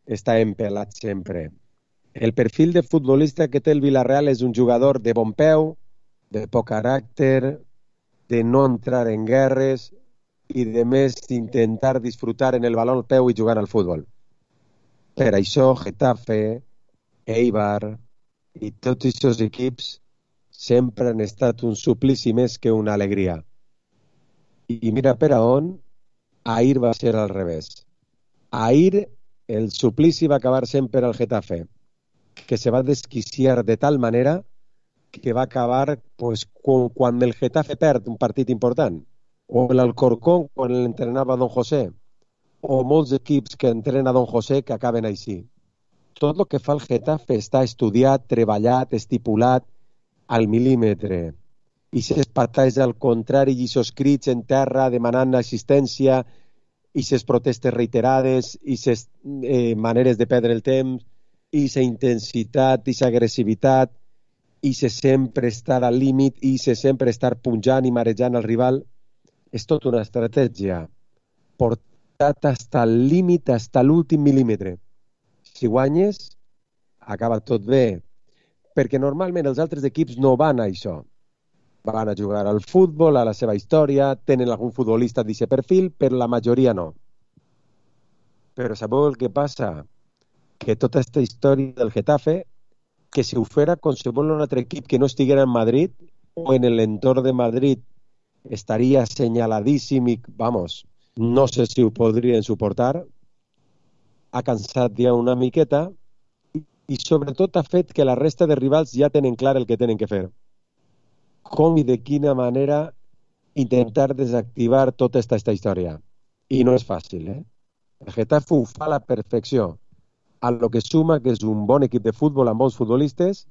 estàvem pelats sempre. El perfil de futbolista que té el Villarreal és un jugador de bon peu, de poc caràcter, de no entrar en guerres i de més intentar disfrutar en el baló al peu i jugant al futbol. Per això Getafe, Eibar i tots aquests equips sempre han estat un suplici més que una alegria. I mira per a on, ahir va ser al revés. Ahir el suplici va acabar sempre al Getafe, que se va desquiciar de tal manera que va acabar pues, quan el Getafe perd un partit important, o l'Alcorcón quan l'entrenava Don José, o molts equips que entrena Don José que acaben així. Tot el que fa el Getafe està estudiat, treballat, estipulat al mil·límetre. I ses patalles al contrari, i ses crits en terra demanant assistència, i ses protestes reiterades, i ses eh, maneres de perdre el temps, i sa intensitat, i sa agressivitat, i se sempre estar al límit, i se sempre estar punjant i marejant al rival. És tota una estratègia portat fins al límit, fins a l'últim mil·límetre. Si guanyes, acaba tot bé, perquè normalment els altres equips no van a això. Van a jugar al futbol, a la seva història, tenen algun futbolista d'aquest perfil, però la majoria no. Però sabeu el que passa? Que tota aquesta història del Getafe, que si ho fera qualsevol un altre equip que no estiguera en Madrid o en l'entorn de Madrid estaria assenyaladíssim i, vamos, no sé si ho podrien suportar, ha cansat ja una miqueta i sobretot ha fet que la resta de rivals ja tenen clar el que tenen que fer. Com i de quina manera intentar desactivar tota aquesta història. I no és fàcil, eh? El Getafe ho fa a la perfecció, a lo que suma que és un bon equip de futbol amb bons futbolistes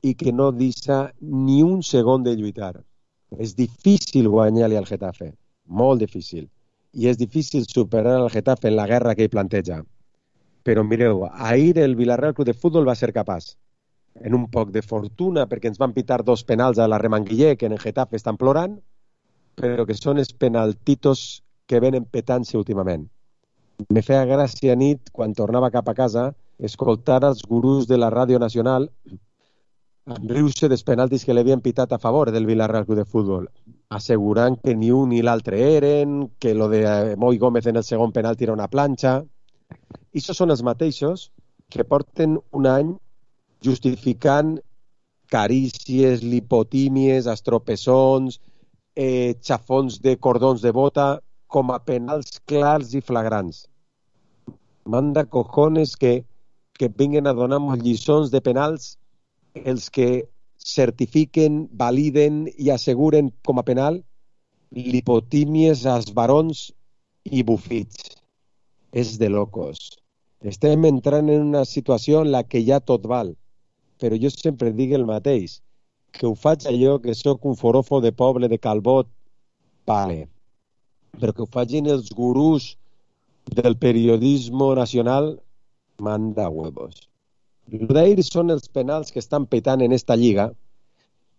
i que no deixa ni un segon de lluitar. És difícil guanyar-li al Getafe, molt difícil. I és difícil superar el Getafe en la guerra que ell planteja. Però mireu, ahir el Villarreal Club de Futbol va ser capaç, en un poc de fortuna, perquè ens van pitar dos penals a la Remanguiller, que en el Getafe estan plorant, però que són els penaltitos que venen petant-se últimament. Me feia gràcia nit, quan tornava cap a casa, escoltar els gurús de la Ràdio Nacional riure dels penaltis que l'havien pitat a favor del Villarreal Club de Futbol, assegurant que ni un ni l'altre eren, que lo de Moi Gómez en el segon penalti era una planxa. I això són els mateixos que porten un any justificant carícies, lipotímies, estropessons, eh, xafons de cordons de bota com a penals clars i flagrants. Manda cojones que, que vinguen a donar-nos lliçons de penals els que certifiquen, validen i asseguren com a penal lipotímies, esbarons i bufits. És de locos. Estem entrant en una situació en la que ja tot val. Però jo sempre dic el mateix, que ho faig allò que sóc un forofo de poble de Calbot, vale. Però que ho facin els gurús del periodisme nacional, manda huevos. L'Udair són els penals que estan petant en esta lliga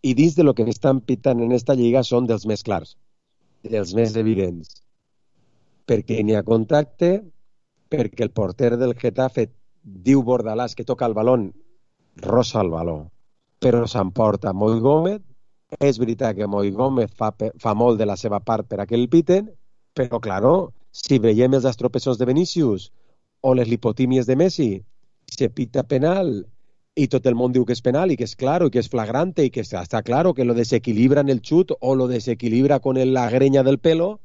i dins de lo que estan petant en esta lliga són dels més clars, dels més evidents. Perquè n'hi ha contacte, perquè el porter del Getafe diu Bordalàs que toca el balón, rosa el baló, però s'emporta Moi Gómez. És veritat que Moi Gómez fa, fa molt de la seva part per a que el piten, però, claro, si veiem els estropessons de Vinícius o les lipotímies de Messi, se pita penal i tot el món diu que és penal i que és claro i que és flagrante i que està claro que lo desequilibra en el xut o lo desequilibra con la greña del pelo,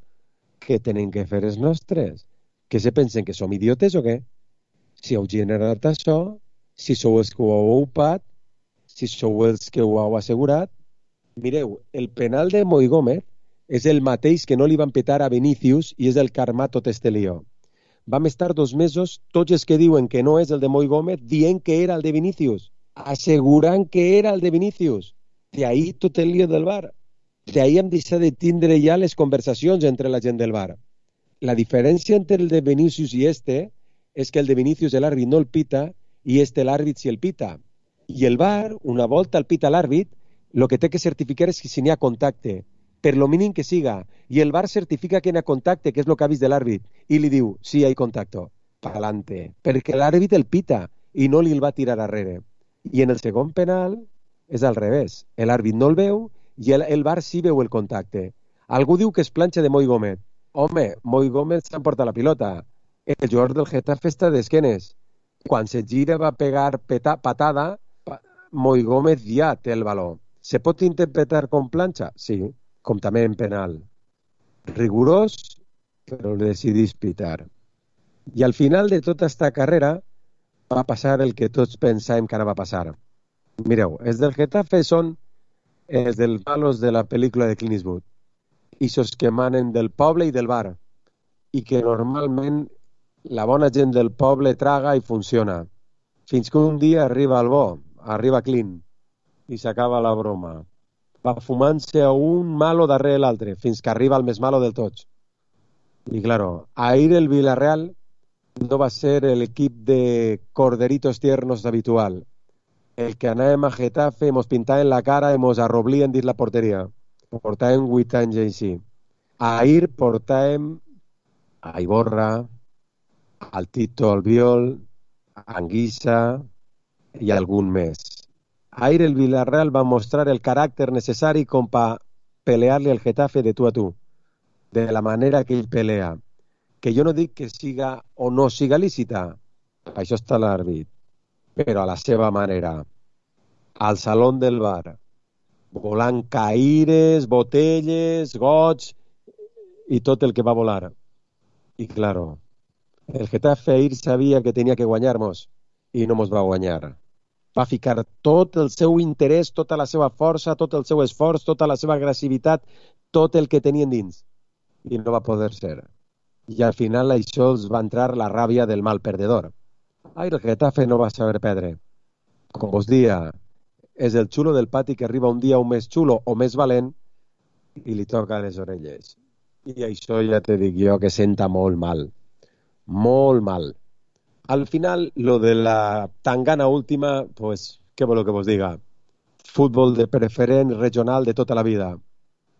que tenen que fer els nostres? Que se pensen que som idiotes o què? Si heu generat això, si sou els que ho heu ocupat, si sou els que ho heu assegurat. Mireu, el penal de Moi Gómez és el mateix que no li van petar a Vinícius i és el que ha armat tot este lío. Vam estar dos mesos, tots els que diuen que no és el de Moi Gómez, dient que era el de Vinícius, assegurant que era el de Vinícius. De ahí tot el lío del V A R. De ahí hem deixat de tindre ja les conversacions entre la gent del V A R. La diferència entre el de Vinícius i este és que el de Vinícius l'àrbit no el pita i este l'àrbit si el pita. I el V A R, una volta el pita l'àrbit, el que té que certificar és que si n'hi ha contacte. per lo mínim que siga, i el V A R certifica que hi ha contacte, que és el que ha vist de l'àrbit, i li diu, sí, hi ha contacte, pa'lante, perquè l'àrbit el pita i no li el va tirar arrere. I en el segon penal és al revés, l'àrbit no el veu i el, el V A R sí veu el contacte. Algú diu que és planxa de Moi Gómez. Home, Moi Gómez s'emporta la pilota. El jugador del Getafe està d'esquenes. Quan se gira va pegar peta, patada, pa, Moi Gómez ja té el baló. Se pot interpretar com planxa? Sí, com també en penal. Rigorós, però el decidís pitar. I al final de tota esta carrera va passar el que tots pensàvem que anava a passar. Mireu, els del Getafe són els dels malos de la pel·lícula de Clint Eastwood. Ixos que manen del poble i del bar. I que normalment la bona gent del poble traga i funciona. Fins que un dia arriba el bo, arriba Clint, i s'acaba la broma. Va fumant-se un malo darrere l'altre, fins que arriba el més malo del tots. I claro, ahir el Villarreal no va ser l'equip de corderitos tiernos habitual. El que anàvem a Getafe, mos pintaven la cara i mos arroblien dins la porteria. Portàvem vuit anys així. Ahir portàvem a Iborra, al Tito Albiol, a Anguissa i algun més. Ahir el Villarreal va mostrar el caràcter necessari com per pelear-li al Getafe de tu a tu, de la manera que ell pelea. Que jo no dic que siga o no siga lícita, això està l'àrbit, però a la seva manera. Al saló del bar, volant caires, botelles, goig i tot el que va volar. I claro, el Getafe ahir sabia que tenia que guanyar-nos i no mos va guanyar. Va ficar tot el seu interès, tota la seva força, tot el seu esforç, tota la seva agressivitat, tot el que tenien dins. I no va poder ser. I al final això els va entrar la ràbia del mal perdedor. Ai, el Getafe no va saber perdre. Com vos dia, és el xulo del pati que arriba un dia un més xulo o més valent i li toca les orelles. I això ja te dic jo que senta molt mal. Molt mal. Al final, lo de la tangana última, pues, què voleu que vos diga? Futbol de preferent regional de tota la vida.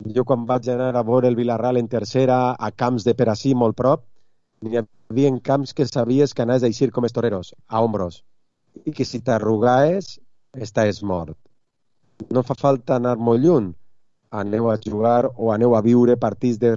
Jo quan vaig anar a veure el Villarreal en tercera, a camps de per ací molt prop, n'hi havia camps que sabies que anaves a eixir com els toreros, a ombros, i que si t'arrugaes, estàs mort. No fa falta anar molt lluny. Aneu a jugar o aneu a viure partits de